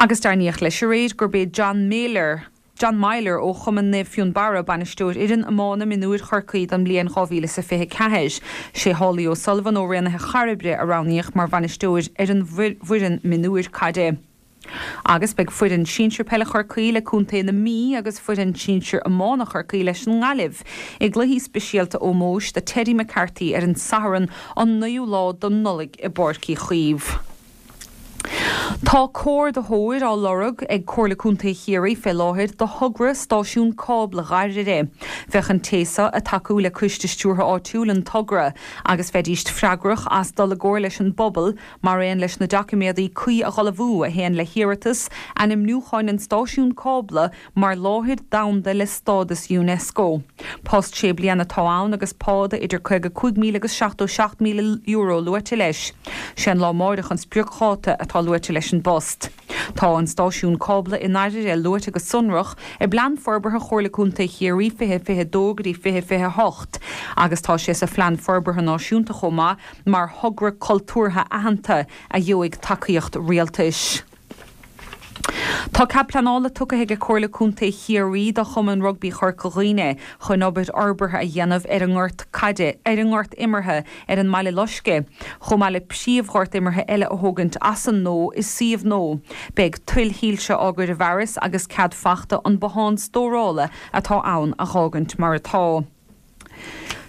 S16: Agus deimhníodh leis aréir gurb é John Meyler, John Meyler ó Chumann Naomh Fionnbarra bainisteoir fhoireann iomána mionúir Chorcaí don mbliain 2024. Sé Holly O'Sullivan ó Raonaithe Chairbre a roghnaíodh mar bhainisteoir ar an bhfoireann mionúir caide. Agus beidh foireann sinsir peile Chorcaí le Contae na Mí agus foireann sinsir iomána Chorcaí leis an nGaillimh i gcluichí speisialta ómóis do Teddy McCarthy ar an Satharn an 9ú lá de Nollaig i bPáirc Uí Chaoimh. Tá comhordaitheoir á lorg ag Comhairle Contae Chiarraí fé láthair do thogra stáisiún cábla Dhoire. Bheadh an té seo ag tacú le coiste stiúrtha áitiúil an togra agus bheidíst freagrach as dul i gcomhar leis an bpobal mar aon leis na doiciméadaí cuí a dh'ullmhú a théann le hiarratas ainmniúcháin an stáisiún cábla mar láthair domhanda le stádas Unesco. Post sé bliana atá ann agus pá de idir €55,000 agus €77,000 luaite leis. Sé an lá amáireach an spriocdháta atá luaite leis an bpost. Tá an stáisiún cábla i nDoire luaite go sonrach i bPlean Forbartha Chomhairle Contae Chiarraí 2022 go dtí 2028 agus tá sé sa Phlean Forbartha Náisiúnta chomh maith mar thogra cultúrtha aitheanta a gheobhaidh tacaíocht rialtais. Tá cead pleanála tugtha ag Comhairle Contae Chiarraí do Chumann Rugbaí Chorca Dhuibhne chun obair fhorbartha a dhéanamh ar an ngort caide, ar an ngort imeartha ar an mBaile Loiscthe, chomh maith le príomhghort imeartha eile a thógaint as an nua i suíomh nua. Beidh tuilshoilse á gcur i bhfearas agus cead fachta an bothán stórála atá ann a dh'fhágaint mar atá.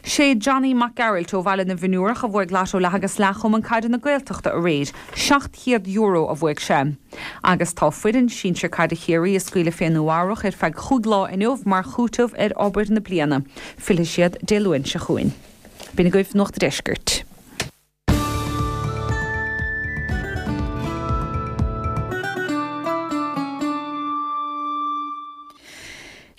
S16: Sé Johnny Mac Gearailt ó Bhaile na bhFionnúrach a bhuaigh Lotto Leath agus Leath Chumann Caide na Gaeltachta aréir. €700 a bhuaigh sé. Agus tá foireann sinsir caide Chiarraí ag scaoileadh fé Nua Eabhrach ar feadh chúig lá inniu mar chúiteamh ar obair na bliana. Fillfidh siad Dé Luain seo chugainn. B'in agaibh Nuacht a' Deiscirt.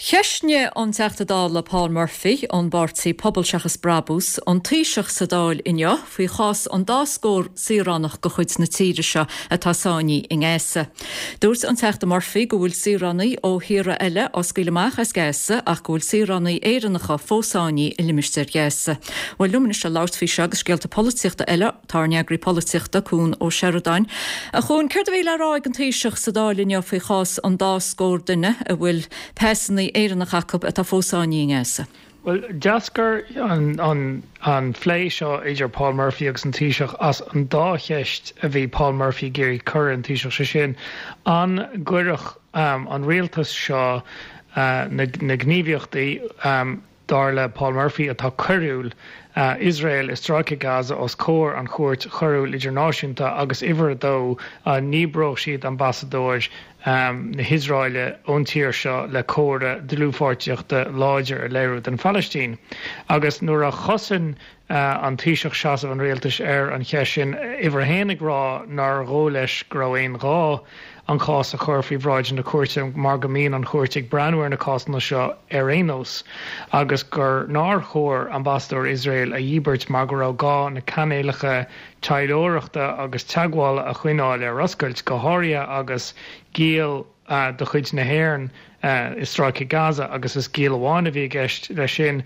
S1: Cheistnigh an Teachta Dála Paul Murphy ón bpáirtí Pobal Seachas Brabús an Taoiseach sa Dáil inniu faoi chás an dá scór saoránach de chuid na tíre seo atá sáinnithe i nGaza. Dúirt an Teachta Murphy go bhfuil saoránaigh ó thíortha eile á scaoileadh amach as Gaza ach go bhfuil saoránaigh Éireannacha fós sáinnithe i limistéar Ghaza. Bhuel, liom anois le labhairt faoi seo agus scéalta polaitíochta eile, tá ár n-eagraí polaitíochta, Cuan Ó Seireadáin. A Chuain, céard a bhí le rá ag an Taoiseach sa Dáil inniu faoi chás an dá scór duine a bhfuil pasanna Éireannacha acu atá fós sáinnithe i nGaza?
S18: Bhuel, d'eascair an plé seo idir Paul Murphy agus an Taoiseach as an dá cheist a bhí Paul Murphy ag iarraidh cur ar an Taoiseach, sé sin, an gcuirfeadh an rialtas seo na gníomhaíochtaí, dar le Paul Murphy, atá coiriúil, Iosrael i Stráice Gaza os comhair an Chúirt Choiriúil Idirnáisiúnta agus uimhir a dó, an ndíbreodh siad ambasadóir na hIosraeile ón tír seo le comhartha dlúthpháirtíochta láidir a léiriú don Phalaistín. Agus nuair a chosain an Taoiseach seasamh an rialtais ar an cheist sin, uimhir a haon ag rá nár dhóigh leis go raibh aon ghá an cás a chur faoi bhráid na cúirte mar go mbíonn an chúirt ag breathnú ar na cásanna seo ar aon nós agus gur nár chóir ambasadóir Iosrael a dhíbirt mar go raibh gá na cainéalacha taidhleoireachta agus teagmhála a choinneáil ar oscailt, go háirithe agus giall de chuid na hÉireann i Stráice Gaza agus is giall amháin a bhí i gceist leis sin.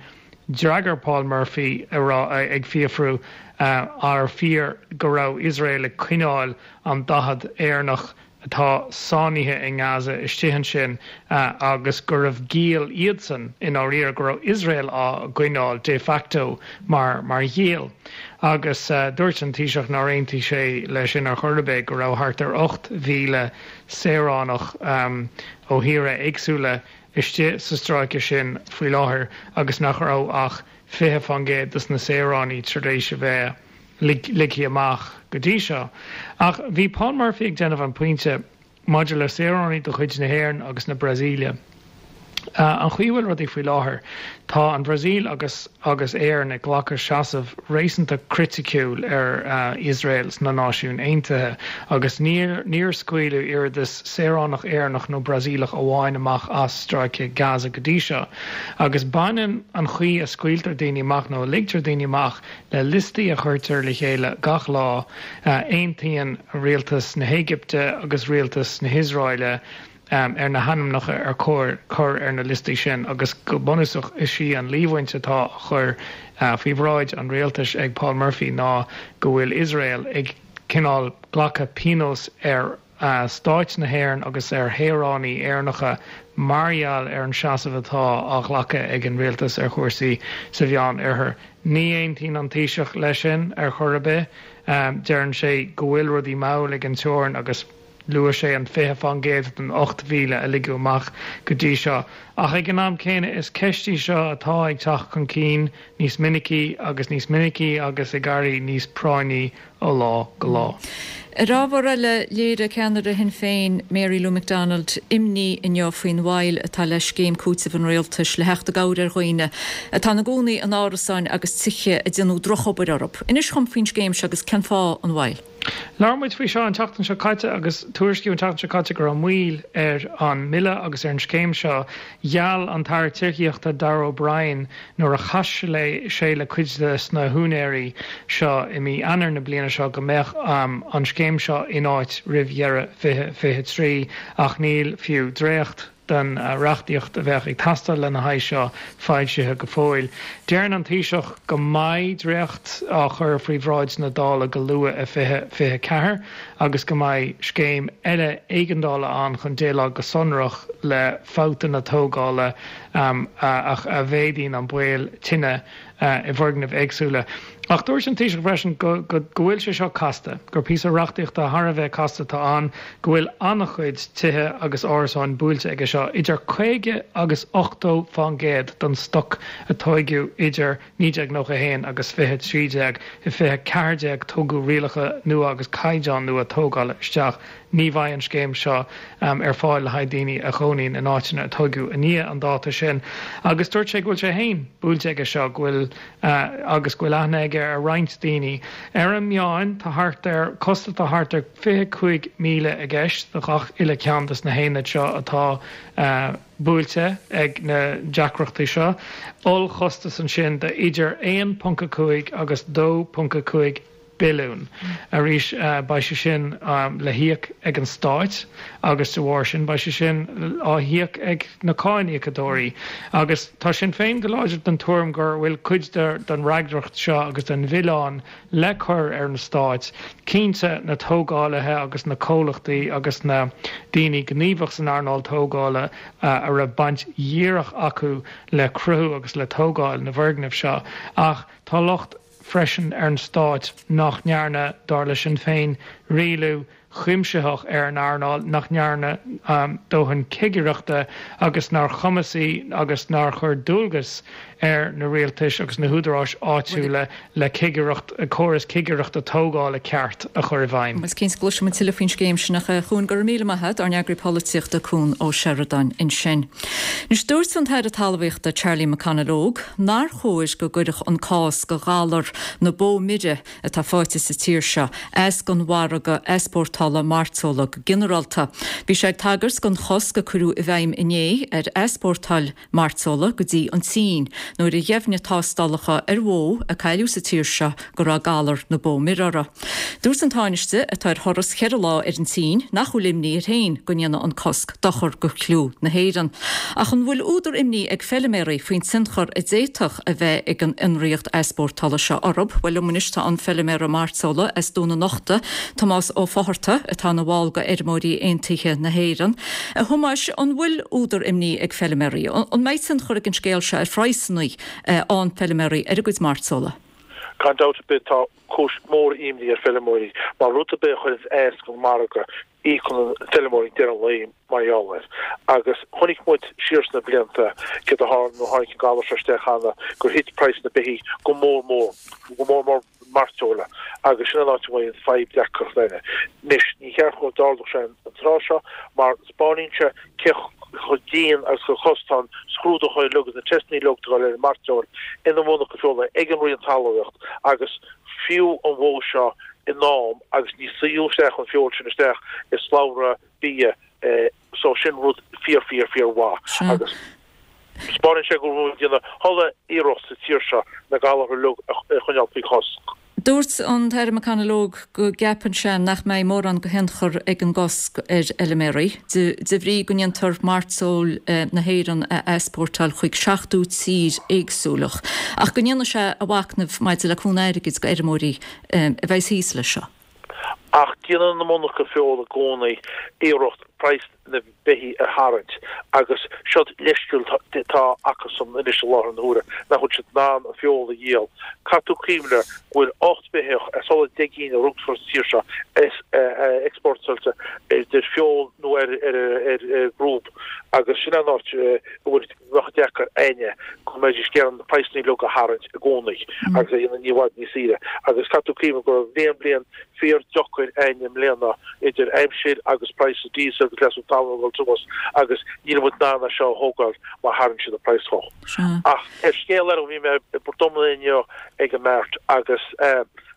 S18: D'fhreagair Paul Murphy ag fiafrú arbh fíor go raibh Iosrael ag coinneáil an 40 Éireannach atá sáinnithe i nGaza istigh ansin agus gurbh ghiall iadsan i ndáiríre, go raibh Iosrael á gcoinneáil de facto mar mar ghiall. Agus dúirt an Taoiseach nár aontaigh sé leis sin ar chor ar bith, go raibh thart ar 8,000 saoránach ó thíortha éagsúla istigh sa stráice sin faoi láthair agus nach raibh ach 20% dos na saoránaigh tar éis a bheith ligthe amach go dtí seo. Ach bhí Paul Murphy ag déanamh an pointe maidir le saoránaigh de chuid na hÉireann agus na Brasaíle. An chaoi a bhfuil rudaí faoi láthair, tá an Bhrasaíl agus agus Éirinn ag glacadh seasamh réasúnta criticiúil ar Iosrael sna Náisiúin Aontaithe agus níor níor scaoileadh oiread is saoránach Éireannach nó Brasaíleach amháin amach as Stráice Gaza go dtí seo. Agus baineann an chaoi a scaoiltear daoine amach nó a ligtear daoine amach le liostaí a chuirtear le chéile gach lá. Aontaíonn rialtas na hÉigipte agus rialtas na hIosraeile ar na hainmneacha ar chóir cur ar na liostaí sin agus go bunúsach is í an líomhaint atá á chur faoi bhráid an rialtais ag Paul Murphy ná go bhfuil Iosrael ag cineál glacadh pionós ar stáit na hÉireann agus ar shaoránaigh Éireannacha mar gheall ar an seasamh atá á ghlacadh ag an rialtas ar chúrsaí sa Mheán Oirthear. Ní aontaíonn an Taoiseach leis sin ar chor ar bith. Deireann sé go bhfuil rudaí mall ag an teorainn agus. Luaigh sé an 20% den 8,000 a ligeadh amach go dtí seo. Ach ag an am céanna, is ceist í seo atá ag teacht chun cinn níos minicí agus níos minicí agus ag éirí níos práinní ó lá go lá.
S1: Ar ábhar eile, léirigh ceannaire Shinn Féin, Mary Lou McDonald, imní inniu faoin mhoill atá le scéim cúitimh an rialtais le theacht i gcabhair ar dhaoine atá ina gcónaí in árasáin agus tithe a déanadh drochobair orthu. Inis dhom faoin scéim seo agus cén fáth an mhoill.
S18: Labhair muid faoi seo an tseachtain seo caite agus tuairiscíodh an tseachtain seo caite go raibh moill ar an mbille agus ar an scéim seo. Gheall an tAire Tithíochta Darragh O'Brien nuair a chas sé le cuid de na húinéirí seo i mí Eanáir na bliana seo go mbeadh an scéim seo in áit roimh dheireadh 2023 ach níl fiú dréacht den reachtaíocht a bheadh ag teastáil lena haghaidh seo foilsithe go fóill. Deireann an Taoiseach go mbeidh dréacht á chur faoi bhráid na Dála go luath i 2024 agus go mbeidh scéim eile éigeandála ann chun déileáil go sonrach le fabhtanna tógála a mhéadaíonn an baol tine i bhfoirgnimh éagsúla. Ach dúirt an Taoiseach freisin go go bhfuil sé seo casta, gur píosa reachtaíochta thar a bheith casta atá ann, go bhfuil an-chuid tithe agus árasáin buailte aige seo, idir 50 agus 80 fán gcéad den stoc a tóigeadh idir 1991 agus 2013. I 2014 tugadh rialacha nua agus caighdeáin nua tógála isteach. Ní bheidh an scéim seo ar fáil le haghaidh daoine a chónaíonn in áiteanna a tóigeadh i ndiaidh an dáta sin agus dúirt sé go bhfuil sé féin buailte aige seo, go bhfuil agus go bhfuil aithne aige ar roinnt daoine. Ar an meán tá thart ar costas atá thart ar 25,000 i gceist do gach uile ceann des na haonaid seo atá buailte ag na deacrachtaí seo. Ollchostas ansin de idir 1.5 agus 2.5 billiún. Arís, beidh sé sin le híoc ag an Stáit agus de bharr sin beidh sé sin á híoc ag na cáiníocadóirí. Agus tá Sinn Féin go láidir den tuairim gur bhfuil cuid den fhreagracht seo agus den mhilleán le cur ar na Stáit. Cinnte, na tógálaithe agus na comhlachtaí agus na daoine gníomhach san earnáil tógála a raibh baint dhíreach acu le cruthú agus le tógáil na bhfoirgneamh seo ach tá locht freisin ar an Stáit nach ndearna, dar le Sinn Féin, rialú cuimsitheach ar an earnáil, nach ndearna dóthain cigireachta agus nár chumasaigh agus nár chuir dualgas ar na rialtais agus na húdaráis áitiúla le cigireacht, córas cigireachta tógála ceart a chur i bhfeidhm.
S1: Is cinnte go gcloisfidh muid tuilleadh faoin scéim sin ach a Chuain, go raibh míle maith agat, ár n-eagraí polaitíochta Cuan Ó Seireadáin ansin. Anois dúirt an tAire Talmhaíochta Charlie McConalogue nár chóir go gcuirfeadh an cás go ghalar na bó mire atá faighte sa tír seo as don mhargadh easpórtála mairteola go ginearálta. Bhí sé ag tagairt don chosc a cuireadh i bhfeidhm inné ar easpórtáil mairteola go dtí an tSín nuair a dheimhnigh tástálacha ar bhó a cailleadh sa tír seo go raibh galar na bó mire uirthi. Dúirt an Tánaiste, atá ar thuras cheithre lá ar an tSín, nach bhfuil imní air féin go ndéanfaidh an cosc dochar do chliú na hÉireann. Ach an bhfuil údar imní ag feiliméaraí faoin tionchar a d'fhéadfadh a bheith ag an fhionraíocht easpórtála seo orthu? Bhuel, liom anois tá an feiliméara mairteola as Dún an Uchta, Tomás Ó Fátharta, atá ina bhall de Fheirmeoirí Aontaithe na hÉireann. A Thomáis, an bhfuil údar imní ag feiliméaraí? An mbeidh tionchar ag an scéal seo ar phraghsanna an feiliméaraí ar a gcuid mairteola?
S19: Gan dabht ar bith tá cúis mhór imní ar feilimeoirí mar rud ar bith a chuireanns as don margadh íocann an feilimeoir ag deireadh an lae mar gheall air. Agus chonaic muid siar sna blianta céard a tharla nuair a tháinig an galar seo isteach cheana gur thit praghas na beithígh go mór mór, go mór mór mairteola agus sin an áit a bhfuil an fadhb deacracht eile. Anois ní cheart go dtarlódh sé an tráth seo mar 'spáineann sé cé. Chomh dian agus chomh costasach tá an scrúdúchán uilig agus na teisteanna uilig atá ag dul ar an mairteoil ina monarcha feola ag an Roinn Talmhaíocht agus fiú an bhó seo in am agus ní suíodh isteach an feoil sin isteach i slabhra bia so sin rud fíor fíor fíor mhaith agus 'spáineann sé go bhfuil muid ag déanamh chuile iarracht sa tír seo na galartha uilig a choinneáil faoi chosc.
S1: Dúirt an tAire McConalogue go gceapann sé nach mbeidh mórán de thionchar ag an gcosc ar fheilméaraí, de bhrí go ndéantar mairteoil na hÉireann a easpórtáil chuig 70 tír éagsúil, ach go ndéanfaidh sé a mhachnamh maidir le cúnamh airgid do fheirmeoirí a bheas thíos leis seo.
S19: Ach déanann na monarcha feola i gcónaí iarracht praghas na beithí a tharraingt agus seod leithscéal atá acusan anois i láthair na huaire nach bhfuil siad in ann an feoil a dhíol. Caithfidh tú cuimhneamh go bhfuil 8 mbeithíoch as chuile 10 gcinn a rugfar sa tír seo exportáilte idir feoil nó ar chrúb agus sin an áit a bhfuil bheadh deacair againne go mbeidís ag iarraidh na praghsanna uilig a tharraingt i gcónaí agus a dhéanamh ní i bhfad níos saoire agus caithfidh tú cuimhneamh go raibh bliain bliain fíor deacair againne i mbliana idir aimsir agus praghas diesel agus leasú talún ag dul suas agus níl muid in ann é seo a thógáil má tharraing siad an praghas chomh. Ach ar scéal eile bhí mé i bPort Omna inniu ag an mart agus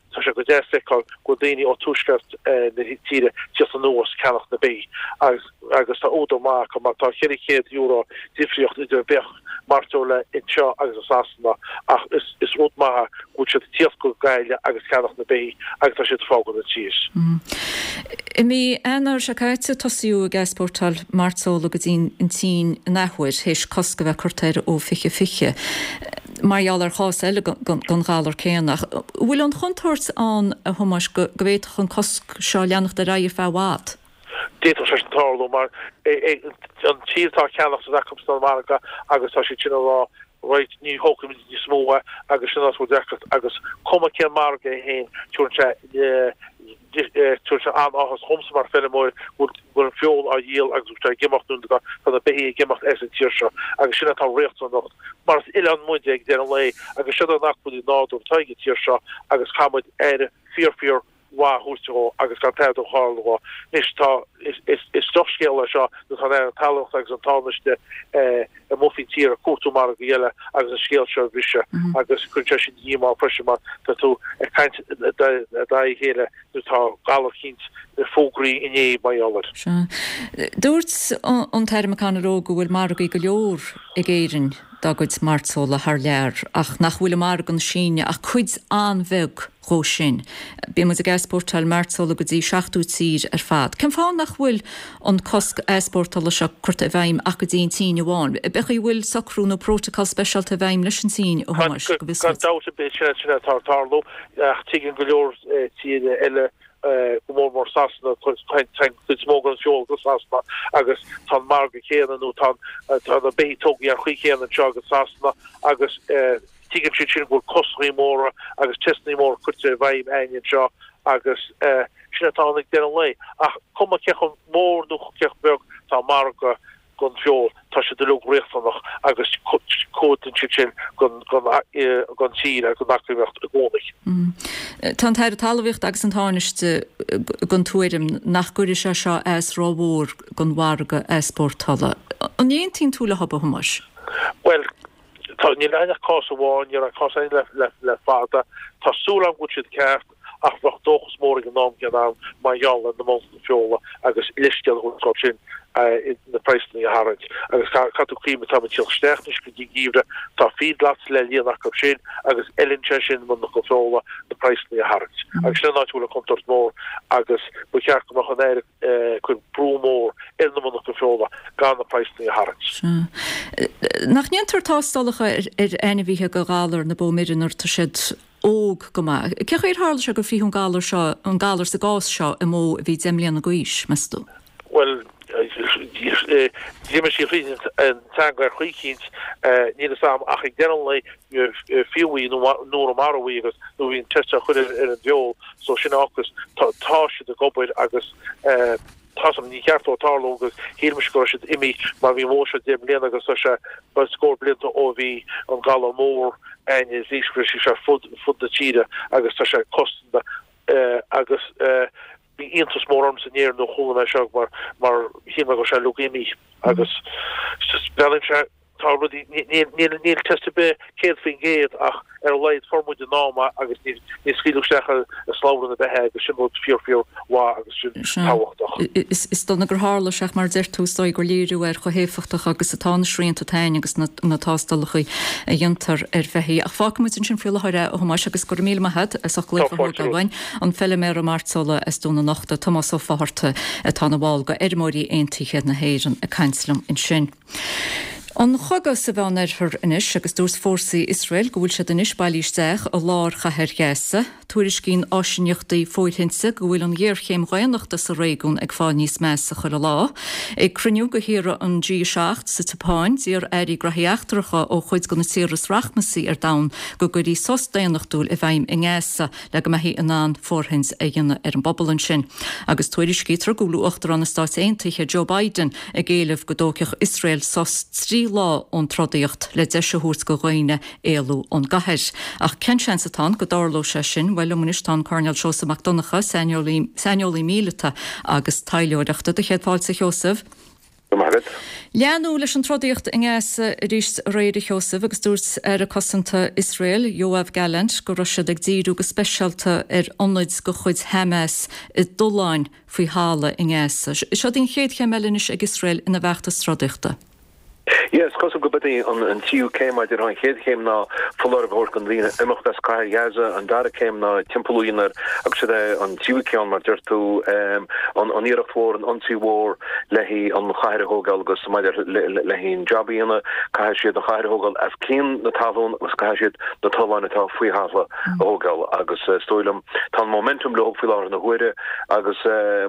S19: tá sé go deas feiceáil go bhfuil daoine ó tuaisceart na tíre tíocht anuas ceannach na beithí agus agus tá údar maith acu mar tá €400 difríocht idir beathach mairteola anseo agus i Sasana ach is is rud maith é go bhfuil siad ag tíocht go Gaillimh agus ceannach na beithí agus tá siad ag fágáil na tír.
S1: I mí Eanáir seo caite tosaíodh ag easpórtáil mairteola go dtí an tSín an athuair théis cosc a bheith curtha air ó 2020 mar gheall ar chás eile den ghalar céanna. Ach an bhfuil an chontúirt ann, a Thomáis, go bhféadfadh an cosc seo leanacht ar aghaidh ar feadh i bhfad?
S19: D'fhéadfadh sé sin tarlú mar an tír atá ag ceannach tá acu san margadh agus tá siad sin ag rá right ní thógfaimid níos mó é agus sin an áit a bhfuil deacracht agus cuma cén margadh é féin tugann sé tugann sé an-áthas dhomsa mar feirmeoir go bhfuil an feoil á dhíol agus go bhfuil sé ag imeacht nó tá na beithígh ag imeacht as an tír seo agus sin atá riachtanach mar is oileán muid ag deireadh an lae agus siod an acmhainn nádúrtha atá ag an tír seo agus caithfidh muid aire fíor fíor mhaith a thabhairt dhó agus gan tada a tharlú dhó. Anois tá, is drochscéal é seo nuair atá an Aire Talmhaíochta agus an Tánaiste amuigh faoin tír ag cuartú margaí eile agus an scéal seo a bhriseadh agus cuireann sé sin díomá freisin mar tá tú ag caint d'aghaidh a chéile nuair atá galar eicínt fógraithe inné mar gheall air.
S1: Sea. Dúirt an tAire McConalogue go bhfuil margaí go leor ag Éirinn dá gcuid mairteola thar lear ach nach bhfuil i margadh na Síne ach cuid an-bheag dhó sin. Bíonn muid ag easpórtáil mairteola go dtí 70 tír ar fad. Cén fáth nach bhfuil an cosc easpórtála seo curtha i bhfeidhm ach go dtí an tSín amháin? B'é chaoi a bhfuil socrú nó prótacal speisialta i bhfeidhm leis an tSín, a Thomáis, go bhfios
S19: duit? Gan dabht ar bith, sin sin atá ag tarlú, ach tuigeann go leor tíre eile, go mór mór Sasana, téann cuid is mó den feoil go Sasana agus tá an margadh céanna nó tá tá na beithígh tógtha ar chaoi chéanna anseo agus Sasana agus Tuigeann siad sin go bhfuil coscanna móra agus teisteanna móra curtha i bhfeidhm againne anseo agus sin atá ann ag deireadh an lae. Ach cuma cé chomh mór nó cé chomh beag atá an margadh don feoil, tá siad uilig riachtanach agus cuidíonn siad sin don tír agus don eacnamaíocht i gcónaí.
S1: Tá an tAire Talmhaíochta agus an Tánaiste den tuairim nach gcuirfidh sé seo as rómhór don mhargadh easpórtála. An aontaíonn tú leo, a Thomáis?
S19: Bhuel, Tá, níl ann ach cás amháin, ní raibh cás eile le fada. Tá súil agam go bhfuil siad ceart ach bheadh dóchas mór ag an am céanna agam mar gheall ar na monarchana feola agus leithscéal a thabhairt dóibh sin na praghsanna a tharraingt. Agus caithfidh tú cuimhneamh, táimid ag teacht isteach anois go dtí an geimhreadh, tá feedlots le líonadh acu sin agus oileann sé sin monarchana feola na praghsanna a tharraingt. Agus sin an áit a bhfuil an contúirt mhór agus ba cheart go mbeadh an Aire ag cur brú mór ar na monarchana feola gan na praghsanna a tharraingt.
S1: Sea. Nach ndéantar tástálacha ar ainmhithe do ghalar na bó mire nuair atá siad óg go maith? Cén chaoi ar tharla sé gur frítheadh an galar seo, an galar sa gcás seo, i mbó a bhí 10 mbliana d'aois, meas tú?
S19: Bhuel, d'imigh sí thríd an teanga ar chaoi eicínt, níl fhios a'm, ach ag deireadh an lae, fiú í nó nuair a maraíodh í agus nuair a bhí an test á chur ar an bhfeoil so sin ocus tá siad ag obair agus tá san ní cheart dó tarlú agus shíl mise go raibh siad imithe mar bhí an bhó seo 10 mbliana agus tá sé scór blianta ó bhí an galar mór ann is bhí sé fud fud na tíre agus tá sé cosanta agus. Bhí iontas mór ormsa in Éirinn nuair a chuala mé seo mar mar shíl mé go raibh sé uilig imithe agus just breathnaíonn sé tá rudaí níl níl níl test ar bith 100% ach ar a laghad fuair muid in am é agus ní ní scaoileadh isteach i slabhra na beithe agus sin rud fíor fíor mhaith agus sin tábhachtach.
S1: Is is dona gur tharla sé ach mar a deir tú is dóigh gur léiriú ar chomh héifeachtach agus atá na srianta atá ann agus na na tástálacha a dhéantar ar bheithígh. Ach fágfaidh muid ansin faoi láthair é a Thomáis agus go raibh míle maith agat as ucht glaoch a thógáil uainn. An feiliméara mairteola as Dún an Uchta, Tomás Ó Fátharta, atá ina bhall de Fheirmeoirí Aontaithe na hÉireann ag caint liom ansin. An cogadh sa Mheánoirthear anois agus dúirt fórsaí Iosrael go bhfuil siad anois bailithe isteach i lár chathair Ghaza. Tuairiscíonn áisíneachtaí fóirthinte go bhfuil an ghéarchéim dhaonnachta sa réigiún ag fáil níos measa chuile lá. Ag cruinniú de thíortha an G7 sa tSeapáin, d'iarr airí graithí eachtracha ó chuid de na tíortha is rachmasaí ar domhan go gcuirfí sos daonnachtúil i bhfeidhm i nGaza. le go mbeifí in ann fóirthint a dhéanamh ar an bpobal ansin. Agus tuairiscítear go bhfuil Uachtarán na Stáit Aontaithe Joe Biden ag éileamh go dtógfadh Iosrael sos 3 lá ón trodaíocht le deis a thabhairt do dhaoine éalú ón gcathair. Ach cén seans atá ann go dtarlóidh sé sin? Bhuel, liom anois tá an Coirnéal Seosamh Mac Donncha, saineolaí míleata agus taidhleoireachta. Do chéad fáilte, a Sheosaimh.
S20: Go maith agat.
S1: Leanadh leis an trodaíocht i nGaza arís aréir, a Sheosaimh, agus dúirt Aire Cosanta Iosrael, Yoav Gallant, go raibh siad ag díriú go speisialta ar ionaid de chuid Hamas i dtolláin faoi thalamh i nGaza. Seo í an chéad chéim eile anois ag Iosrael ina bhfeachtas trodaíochta.
S20: Yeah, is cosúil go b'in í an tríú céim, mar a déarfá. An chéad chéim ná foláireamh a thabhairt do dhaoine imeacht as cathair Ghaza, an dara céim ná timpeallú a dhéanamh air agus siod é an tríú ceann, mar deir tú, an iarracht mhór, an ionsaí mhór le haghaidh an chathair a thógáil agus maidir le haghaidh an jab a dhéanamh, caithfidh siad an chathair a thógáil as cionn na talún agus caithfidh siad na tolláin atá faoi thalamh a thógáil agus is dóigh liom tá an momentum leo faoi láthair na huaire agus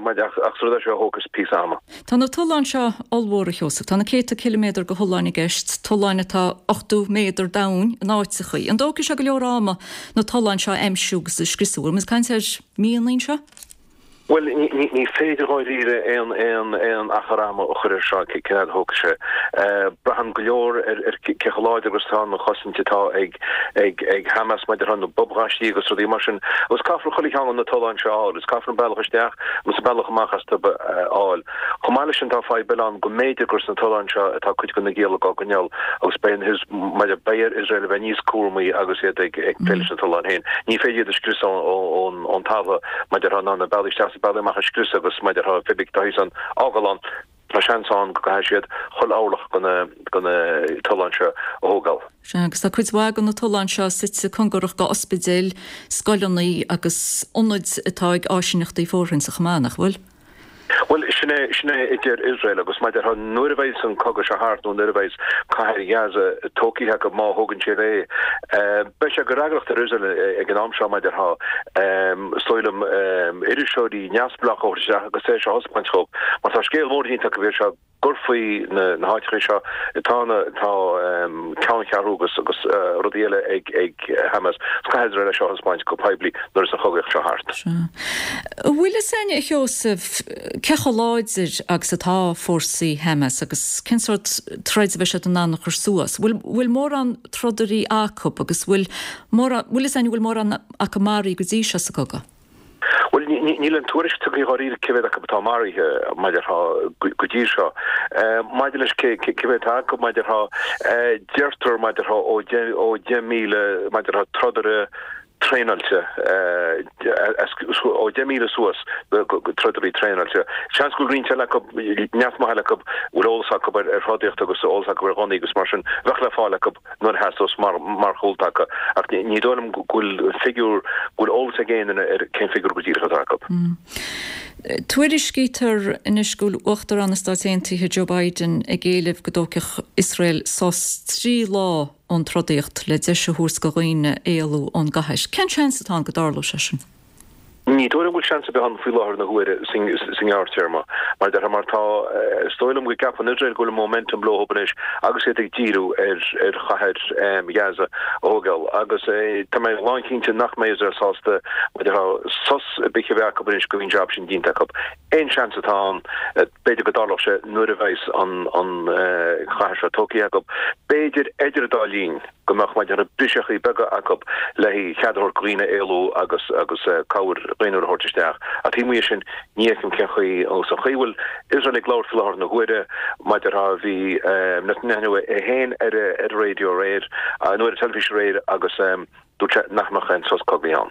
S20: maidir ach ach is rud é seo a thógfas píosa ama.
S1: Tá na tolláin seo ollmhór a Sheosaimh, tá na céadta ciliméadar de tholláin i gceist, tolláin atá 80 méadar domhain in áiteachaí. An dtógfaidh sé go leor ama na tolláin seo a aimsiú agus a scriosadh? Bhfuil muid ag caint ar mhíonna anseo?
S20: Bhuel, ní féidir dháiríre aon aon achar ama a chur air seo, cén fhad a thógfaidh sé. Braitheann go leor ar cé chomh láidir agus atá an chosaint atá ag ag Hamas maidir le na bobghaistí agus rudaí mar sin. Agus caithfear chuile cheann de na tolláin seo a fháil, agus caithfear an bealach isteach agus an bealach amach astu a fháil. Chomh maith leis sin tá fadhb eile ann go mb'fhéidir gur sna tolláin seo atá cuid de na giallaigh á gcoinneáil agus beidh an beidh ar Iosrael a bheith níos cúramaí agus iad ag plé leis na tolláin féin. Ní féidir iad a scriosadh ón ón talamh, mar a déarfá, ná na bealaí isteach is bealaí amach a scriosadh agus mar a déarfá pé ar bith tá thíos ann a fhágáil ann, tá seans ann go gcaithfidh siad chuile orlach de na de na tolláin seo a thógáil.
S1: Sea, agus tá cuid mhaith de na tolláin seo suite cóngarach do ospidéil, scoileanna agus ionaid atá ag áisíneachtaí fóirthinte chomh maith, nach bhfuil?
S20: Bhuel, sin é, sin é a deir Iosrael agus mar a déarfá, nuair a bheidhs an cogadh seo thart nó nuair a bheidhs cathair Ghaza tógtha acu, má thógann siad é, beidh sé de fhreagracht ar Iosrael ag an am seo, mar a déarfá, is dóigh liom, iriseoirí neamhspleácha a thabhairt isteach agus é seo a thaispeáint dhóibh. Mar tá scéal mór déanta acu air seo gur faoi na háiteacha seo atá na, tá ceanncheathrú agus agus rudaí eile ag ag Hamas. Caithfidh Iosrael é seo a thaispeáint go poiblí nuair is an chogaíocht seo thart.
S1: Sea. An bhfuil fhios againn, a Sheosaimh, cé chomh láidir agus atá fórsaí Hamas agus cén sórt troid a bheidh siad in ann a chur suas? Bhfuil, bhfuil mórán trodairí acu agus bhfuil mórán, bhfuil fhios againn an bhfuil mórán acu maraithe go dtí seo sa gcogadh?
S20: Bhuel, níl an tuairisc tugtha dháiríre cé mhéad acu atá maraithe, mar a déarfá, go dtí seo. Maidir leis cé mhéad atá acu, mar a déarfá, deirtear, mar a déarfá, ó 10,000, mar a déarfá, trodaire traenáilte, ó 10,000 suas go trodairí traenáilte. Seans go bhfuil roinnt eile acu, neart maith eile acu, a bhfuil eolas acu ar throdaíocht agus eolas acu ar ghunnaí agus mar sin, bheadh le fáil acu. nuair a theastós mar mar chúltaca, ach ní dóigh liom go bhfuil figiúr, go bhfuil eolas ag aon duine ar cén figiúr go díreach atá acu.
S1: Tuairiscítear anois go bhfuil Uachtarán na Stáit Aontaithe Joe Biden ag éileamh go dtógfadh Iosrael sos 3 lá ón trodaíocht le deis a thabhairt do dhaoine éalú ón gcathair. Cén seans atá ann go dtarlóidh sé sin?
S20: Ní dóigh liom go bhfuil seans ar bith ann faoi láthair na huaire sa ngearrtéarma, mar a déarfá, mar tá, is dóigh liom go gceapann Iosrael go bhfuil an momentum leo anois agus iad ag díriú ar ar chathair Ghaza a thógáil agus tá mé lánchinnte nach mbeidh Iosrael sásta, mar a déarfá, sos ar bith a bheith acu anois go mbíonn an jab sin déanta acu. Aon seans atá ann, b'fhéidir go dtarlódh sé nuair a bheas an an chathair seo tógtha acu, b'fhéidir idir an dá linn. go mbeadh, mar a déarfá, briseachaí beaga acu le cead a thabhairt do dhaoine éalú agus agus cabhair. dhaonnúil a thabhairt isteach. Ach taobh amuigh de sin, ní fheicim cén chaoi, agus an chaoi a bhfuil Iosrael ag labhairt faoi láthair na huaire, mar a déarfá, bhí Netanyahu é féin ar an raidió aréir, nó ar an teilifís aréir agus dúirt sé nach mbeadh aon sos cogaidh ann.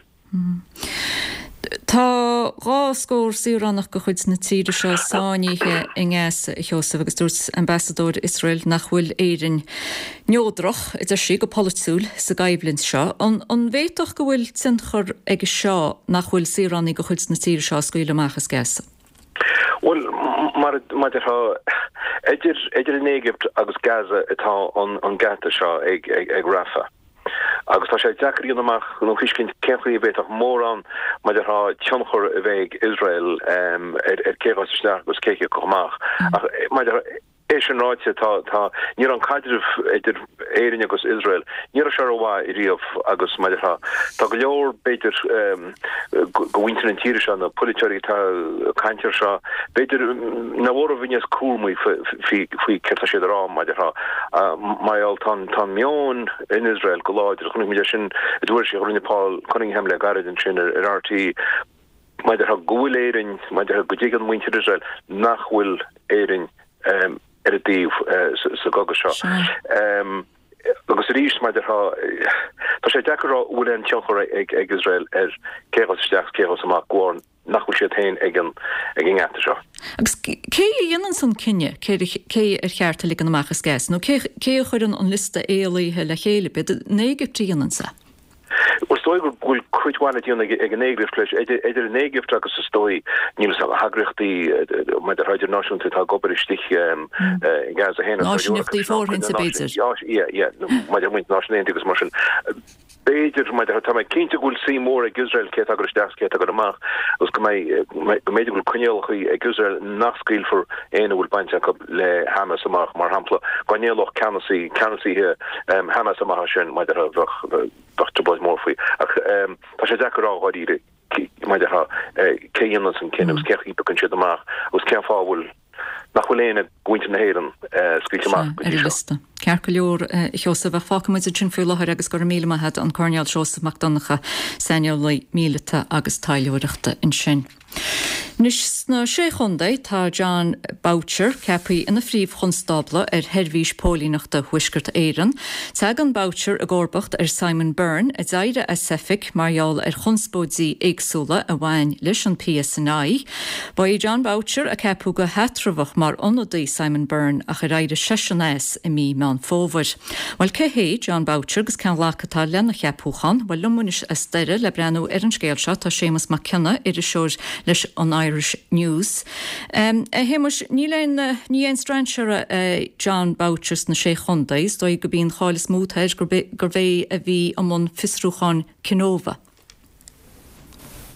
S1: Tá 2 scór saoránach de chuid na tíre seo sáinnithe i nGaza, a Sheosaimh, agus dúirt ambasadóir Iosrael nach bhfuil Éirinn neodrach, a deir sí, go polaitiúil sa gcoimhlint seo. An bhféadfadh go bhfuil tionchar aige seo nach bhfuil saoránaigh de chuid na tíre seo á scaoileadh amach as Gaza?
S20: Bhuel, mar a déarfá, idir idir an Éigipt agus Gaza atá an geata seo ag Rafah. Agus tá sé deacair a dhéanamh amach nó a thuiscint cén chaoi a bhféadfadh mórán, mar a déarfá, tionchar a bheith ag Iosrael ar cé a ghabhfas isteach agus cé a thiocfadh amach. Ach mar a déarfá, é sin ráite, tá, tá, ní raibh an caidreamh idir Éirinn agus Iosrael, ní raibh sé rómhaith riamh agus mar a déarfá, tá go leor, b'fhéidir, de mhuintir na tíre seo, na polaiteoirí atá ag caint air seo, b'fhéidir nach mór a bheith níos cúramaí faoi céard tá siad a rá, mar a déarfá. Mar gheall, tá an meon in Iosrael go láidir, chonaic muid é sin i dtuairisc a rinne Paul Cunningham le gairid ansin ar RTÉ, mar a déarfá, go bhfuil Éirinn, mar a déarfá, go dtuigeann muintir Iosrael nach bhfuil Éirinn ar a dtaobh sa gcogadh seo. Agus arís, mar a déarfá, tá sé deacair a rá an bhfuil aon tionchar ag Iosrael ar cé a ghabhfas isteach is cé a ghabhfas amach, de bharr nach bhfuil siad féin ag an ngeata seo.
S1: Agus cé a dhéananns an cinneadh cé ar cheart a ligean amach as Gaza, nó cé a chuireann an liosta éalaithe le chéile? B'iad an Éigipt a dhéananns é?
S20: Bhuel, is dóigh go bhfuil cuid mhaith le déanamh ag an Éigipt leis, idir an Éigipt agus is dóigh, níl 'fhios a'm, na heagraíochtaí mar a déarfá idirnáisiúnta atá ag obair istigh i Gaza féin.
S1: Áisíneachtaí fóirithinte, b'fhéidir.
S20: Yeah, yeah, mar a déarfá muintir na Náisiún Aontaithe agus mar sin. B'fhéidir, mar a déarfá, tá mé cinnte go bhfuil suim mhór ag Iosrael cé atá ag dul isteach is cé atá ag dul amach agus go mbeidh, go mb'fhéidir go bhfuil coinníollacha ag Iosrael nach scaoilfear éinne a bhfuil baint acu le Hamas amach, mar shampla, dá n-éalódh ceannasaí, ceannasaithe Hamas amach as sin, mar a déarfá, bheadh, bheadh trioblóid mhór faoi. Ach tá sé deacair a rá dháiríre, mar a déarfá, cé a dhéananns an cinneadh agus cén chaoi a bpiocann siad amach agus cén fáth a bhfuil, nach bhfuil éinne de mhuintir na hÉireann scaoilte amach go
S1: dtí seo. Ceart go leor, a Sheosaimh, ach fágfaidh muid ansin faoi láthair agus go raibh míle maith agat, an Coirnéal Seosamh Mac Donncha, saineolaí míleata agus taidhleoireachta ansin. Anois sna Sé Chontae tá Jon Boutcher ceaptha ina Phríomh-Chonstábla ar Sheirbhís Póilíneachta Thuaisceart Éireann. Tagann Boutcher i gcomharbacht ar Simon Byrne a d'éirigh as oifig mar gheall ar chonspóidí éagsúla a bhain leis an PSNI. Ba é Jon Boutcher a ceapadh go heatramhach mar ionadaí Simon Byrne ach ar éirigh seisean as i mí Meán Fómhair. Bhuel cé hé Jon Boutcher agus cén ghlacadh atá lena cheapúchán? Bhuel liom anois as Doire le breathnú ar an scéal seo tá Séamus Mac Cionnaith, iriseoir leis an Irish News. A Shéamuis, níl aon, ní aon strainséara é Jon Boutcher sna Sé Chontae, is dóigh gurb í an cháil is mó atá air gurbh é a bhí i mbun fiosrúcháin Kenova.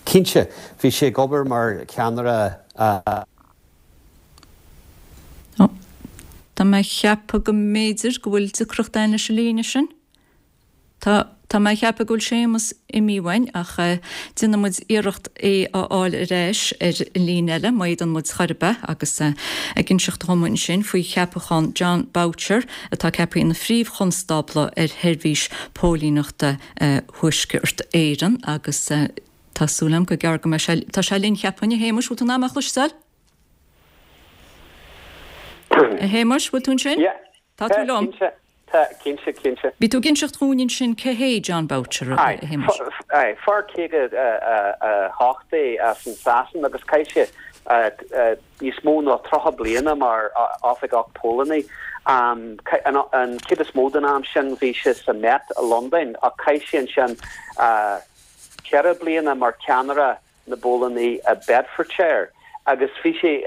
S21: Cinnte, bhí sé ag obair mar cheannaire a.
S1: Ó, tá mé a cheapadh go mb'fhéidir go bhfuil deacracht ann leis an líne sin. Tá, tá mé a cheapadh go bhfuil Séamus imithe uainn ach déanfaidh muid iarracht é a fháil ar ais ar an líne eile, má fhéadann muid chor ar bith, agus ag inseacht dhom ansin faoi cheapachán Jon Boutcher atá ceaptha ina Phríomh-Chonstábla ar Sheirbhís Póilíneachta Thuaisceart Éireann agus tá súil agam gur gearr go mbeidh sé, tá sé linn cheapfainn, a Shéamuis, bhfuil tú in ann mé a chloisteáil? A Shéamuis, bhfuil tú ansin?
S22: Yeah.
S1: Tá tú liom?
S22: Cinnte, tá, cinnte, cinnte.
S1: Bhí tú ag inseacht dhúinn ansin cé hé Jon Boutcher, a Shéamuis.
S22: Aye, fear 58 é as an Sasain agus chaith sé níos mó ná 30 bliana mar oifigeach póilíní. An chuid is mó den am sin bhí sé sa Met i Londain ach chaith sé ansin ceithre bliana mar cheannaire na bpóilíní i Bedfordshire agus bhí sé,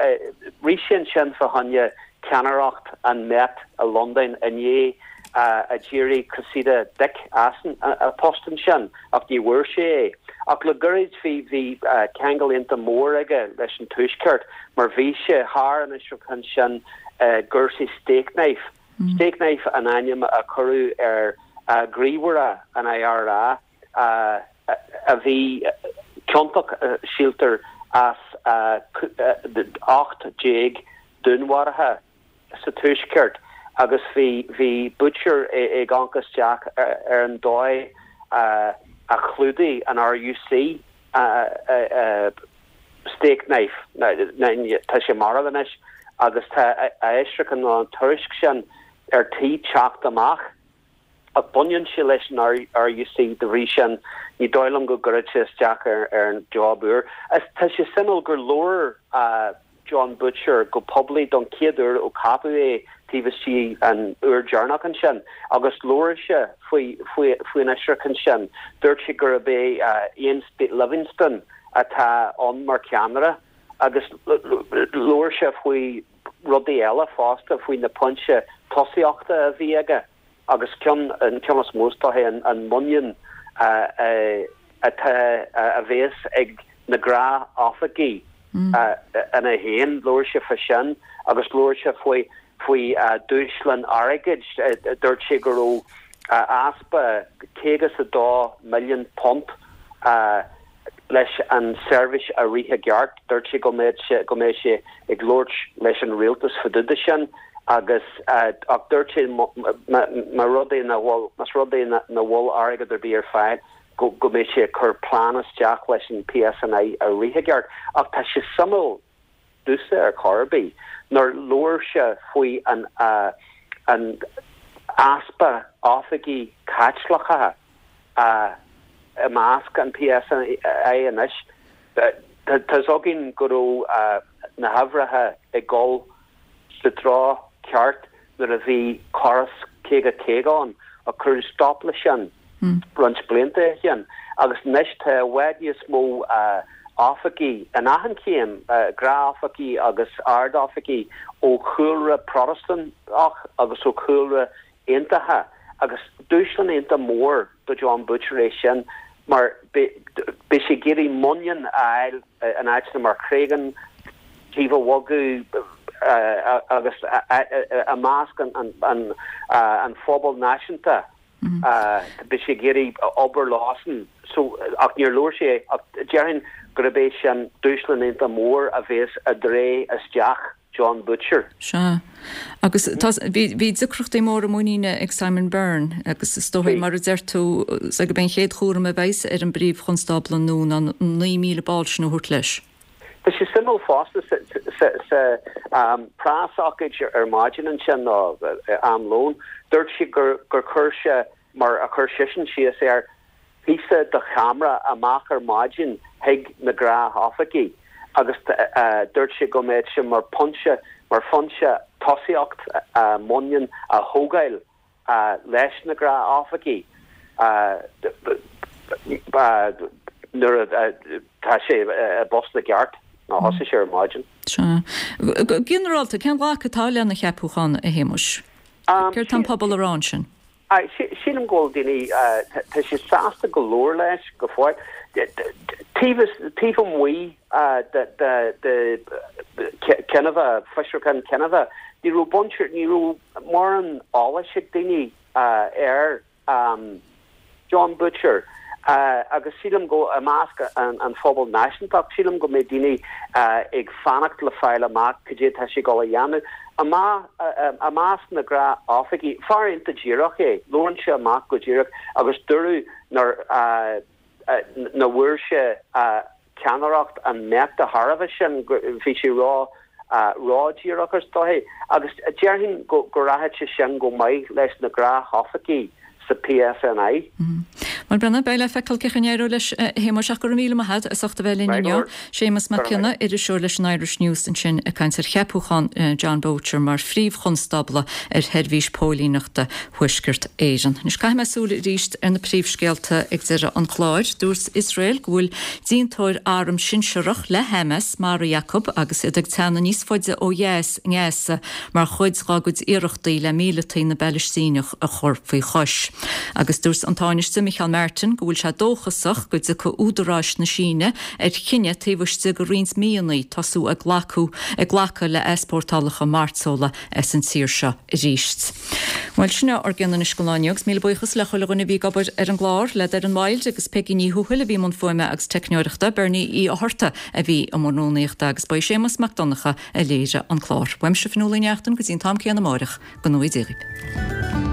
S22: rith sé ansin fá choinne ceannaireacht an Met i Londain i ndiaidh a d'éirigh Cressida Dick as an post ansin ach ní bhfuair sé é. Ach le gairid bhí bhí ceangal iontach mór aige leis an Tuaisceart mar bhí sé thar an fhiosrúchán sin i gcúrsaí Stakeknife. Stakeknife an ainm a cuireadh ar ghníomhaire an IRA a bhí ciontach, síltear, as 18 dúnmharuithe sa Tuaisceart agus bhí bhí Boutcher ag amharc isteach ar an dóigh a chlúdaigh an RUC. Steak knife, tá sé marbh anois agus tá a fhiosrúchán nó an tuairisc sin ar tí teacht amach ach baineann sé leis an RUC de bhrí sin ní dóigh liom go gcuirfeadh sé isteach ar an job úr. Tá sé suimiúil gur labhair John Butcher go poiblí don chéad uair ó ceapadh é taobh istigh an uair deireanach ansin agus labhair sé faoi faoin fhiosrúchán sin. Dúirt sé gurb é Iain Livingstone atá ann mar cheannaire agus labhair sé faoi rudaí eile fosta, faoi na pointe tosaíochta a bhí aige agus ceann, an ceann is mó is dóiche, an muinín atá, a bhéas ag na gnáth-oifigigh ina féin. Labhair sé fá sin agus labhair sé faoi, faoi dúshlán airgid. Dúirt sé go raibh easpa £52 milliún leis an seirbhís a rith i gceart. Dúirt sé go mbeadh sé, go mbeidh sé ag labhairt leis an rialtas fá dtaobh de sin agus ach dúirt sé má rud é nach bhfuil, más rud é nach bhfuil airgead ar bith ar fáil go go mbeidh sé ag cur plean isteach leis an PSNI a rith i gceart. Ach tá sé suimiúil domhsa ar chor ar bith nár labhair sé faoi an an easpa oifigigh Caitliceacha i measc an PSNI anois. Tá fhios againn go raibh na huimhreacha ag dul sa treo ceart nuair a bhí córas 50 50 ann ach cuireadh stop leis sin roinnt blianta ó shin agus anois tá i bhfad níos mó oifigigh in achan chéim, gnáth-oifigigh agus ard-oifigigh ó chúlra Protastúnach agus ó chúlra Aontaithe agus dúshlán iontach mór do John Butcher é sin mar beidh sé ag iarraidh muinín a fháil in áiteanna mar Chreagán, Taobh an Bhogaigh agus i measc an phobail náisiúnta. Beidh sé ag iarraidh obair leosan so ach níor labhair sé ach déarfainn gurb é sin dúshlán iontach mór a bhéas i dtreo isteach John Butcher.
S1: Sea. Agus tá, bhí, bhí deacrachtaí móra muiníne ag Simon Byrne agus is dóigh, mar a deir tú, gurb é an chéad chúram a bheas ar an bPríomh-Chonstábla nua ná na 9,000 ball sin a thabhairt leis.
S22: Tá sé suimiúil fosta sa preasócáid ar maidin ansin, nó am lóin, dúirt sé gur chuir sé, mar a chuir seisean síos air, píosa de cheamara amach ar maidin chuig na gnáthoifigigh agus dúirt sé go mbeadh sé mar phointe, mar phointe tosaíocht muinín a thógáil leis na gnáthoifigigh nuair atá sé i bpost i gceart, nó thosaigh sé ar maidin.
S1: Sea. Go ginearálta, cén ghlacadh atá lena cheapúchán, a Shéamuis? Céard tá an pobal a rá ansin?
S22: Sílim go bhfuil daoine, tá siad sásta go leor leis go fóill. Taobh taobh amuigh de Kenova, fiosrúchán Kenova, ní raibh baint, ní raibh mórán eolais ag daoine air. John Butcher, Agus sílim go, i measc an phobail náisiúntach, sílim go mbeidh daoine ag fanacht le fáil amach cad é atá sé ag dul a dhéanamh. I measc na gnáthoifigigh, fear iontach díreach é, labhrann sé amach go díreach agus dúradh nuair nach bhfuair sé ceannaireacht an mbeadh de thairbhe sin, bhí sé ró ródhíreach is dóiche, agus déarfainn go rachaidh sé sin go maith leis na gnáthoifigigh sa PSNI.
S1: Bhuel, Brenna, beidh le feiceáil cén chaoi a n-éireoidh leis, a Shéamuis, ach go raibh míle maith agat as ucht a bheith linn inniu. Séamus Mac Cionnaith, iriseoir leis an Irish News ansin ag caint ar cheapúchán John Boutcher mar Phríomh-Chonstábla ar Sheirbhís Póilíneachta Thuaisceart Éireann. Anois caithfidh mé súil arís ar na príomhscéalta ag deireadh an chláir. Dúirt Iosrael go bhfuil díontóir arm sinsearach le Hamas maraithe acu agus iad ag teannadh níos faide ó dheas i nGaza mar chuid dá gcuid iarrachtaí le míleataigh na bPalaistíneach a chur faoi chois. Agus dúirt an Tánaiste Micheál Martin go bhfuil sé dóchasach go dtiocfaidh údaráis na Síne ar chinneadh taobh istigh de roinnt míonna tosú ag glacadh le easpórtálacha mairteola as an tír seo arís. Bhuel, sin é ár gcion anois don lá inniu agus míle buíochas le chuile dhuine a bhí ag obair ar an gclár, le Doireann Wilde agus Peigí Ní Thuathail a bhí i mbun fuaime agus teicneoireachta, Bernie Uí Fhátharta a bhí i mbun rúnaíochta agus ba í Séamus Mac Donncha a léirigh an clár. Uaimse Fionnuala Ní Neachtain go dtí an t-am céanna amáireach, go ngnóthaí Dia dhaoibh.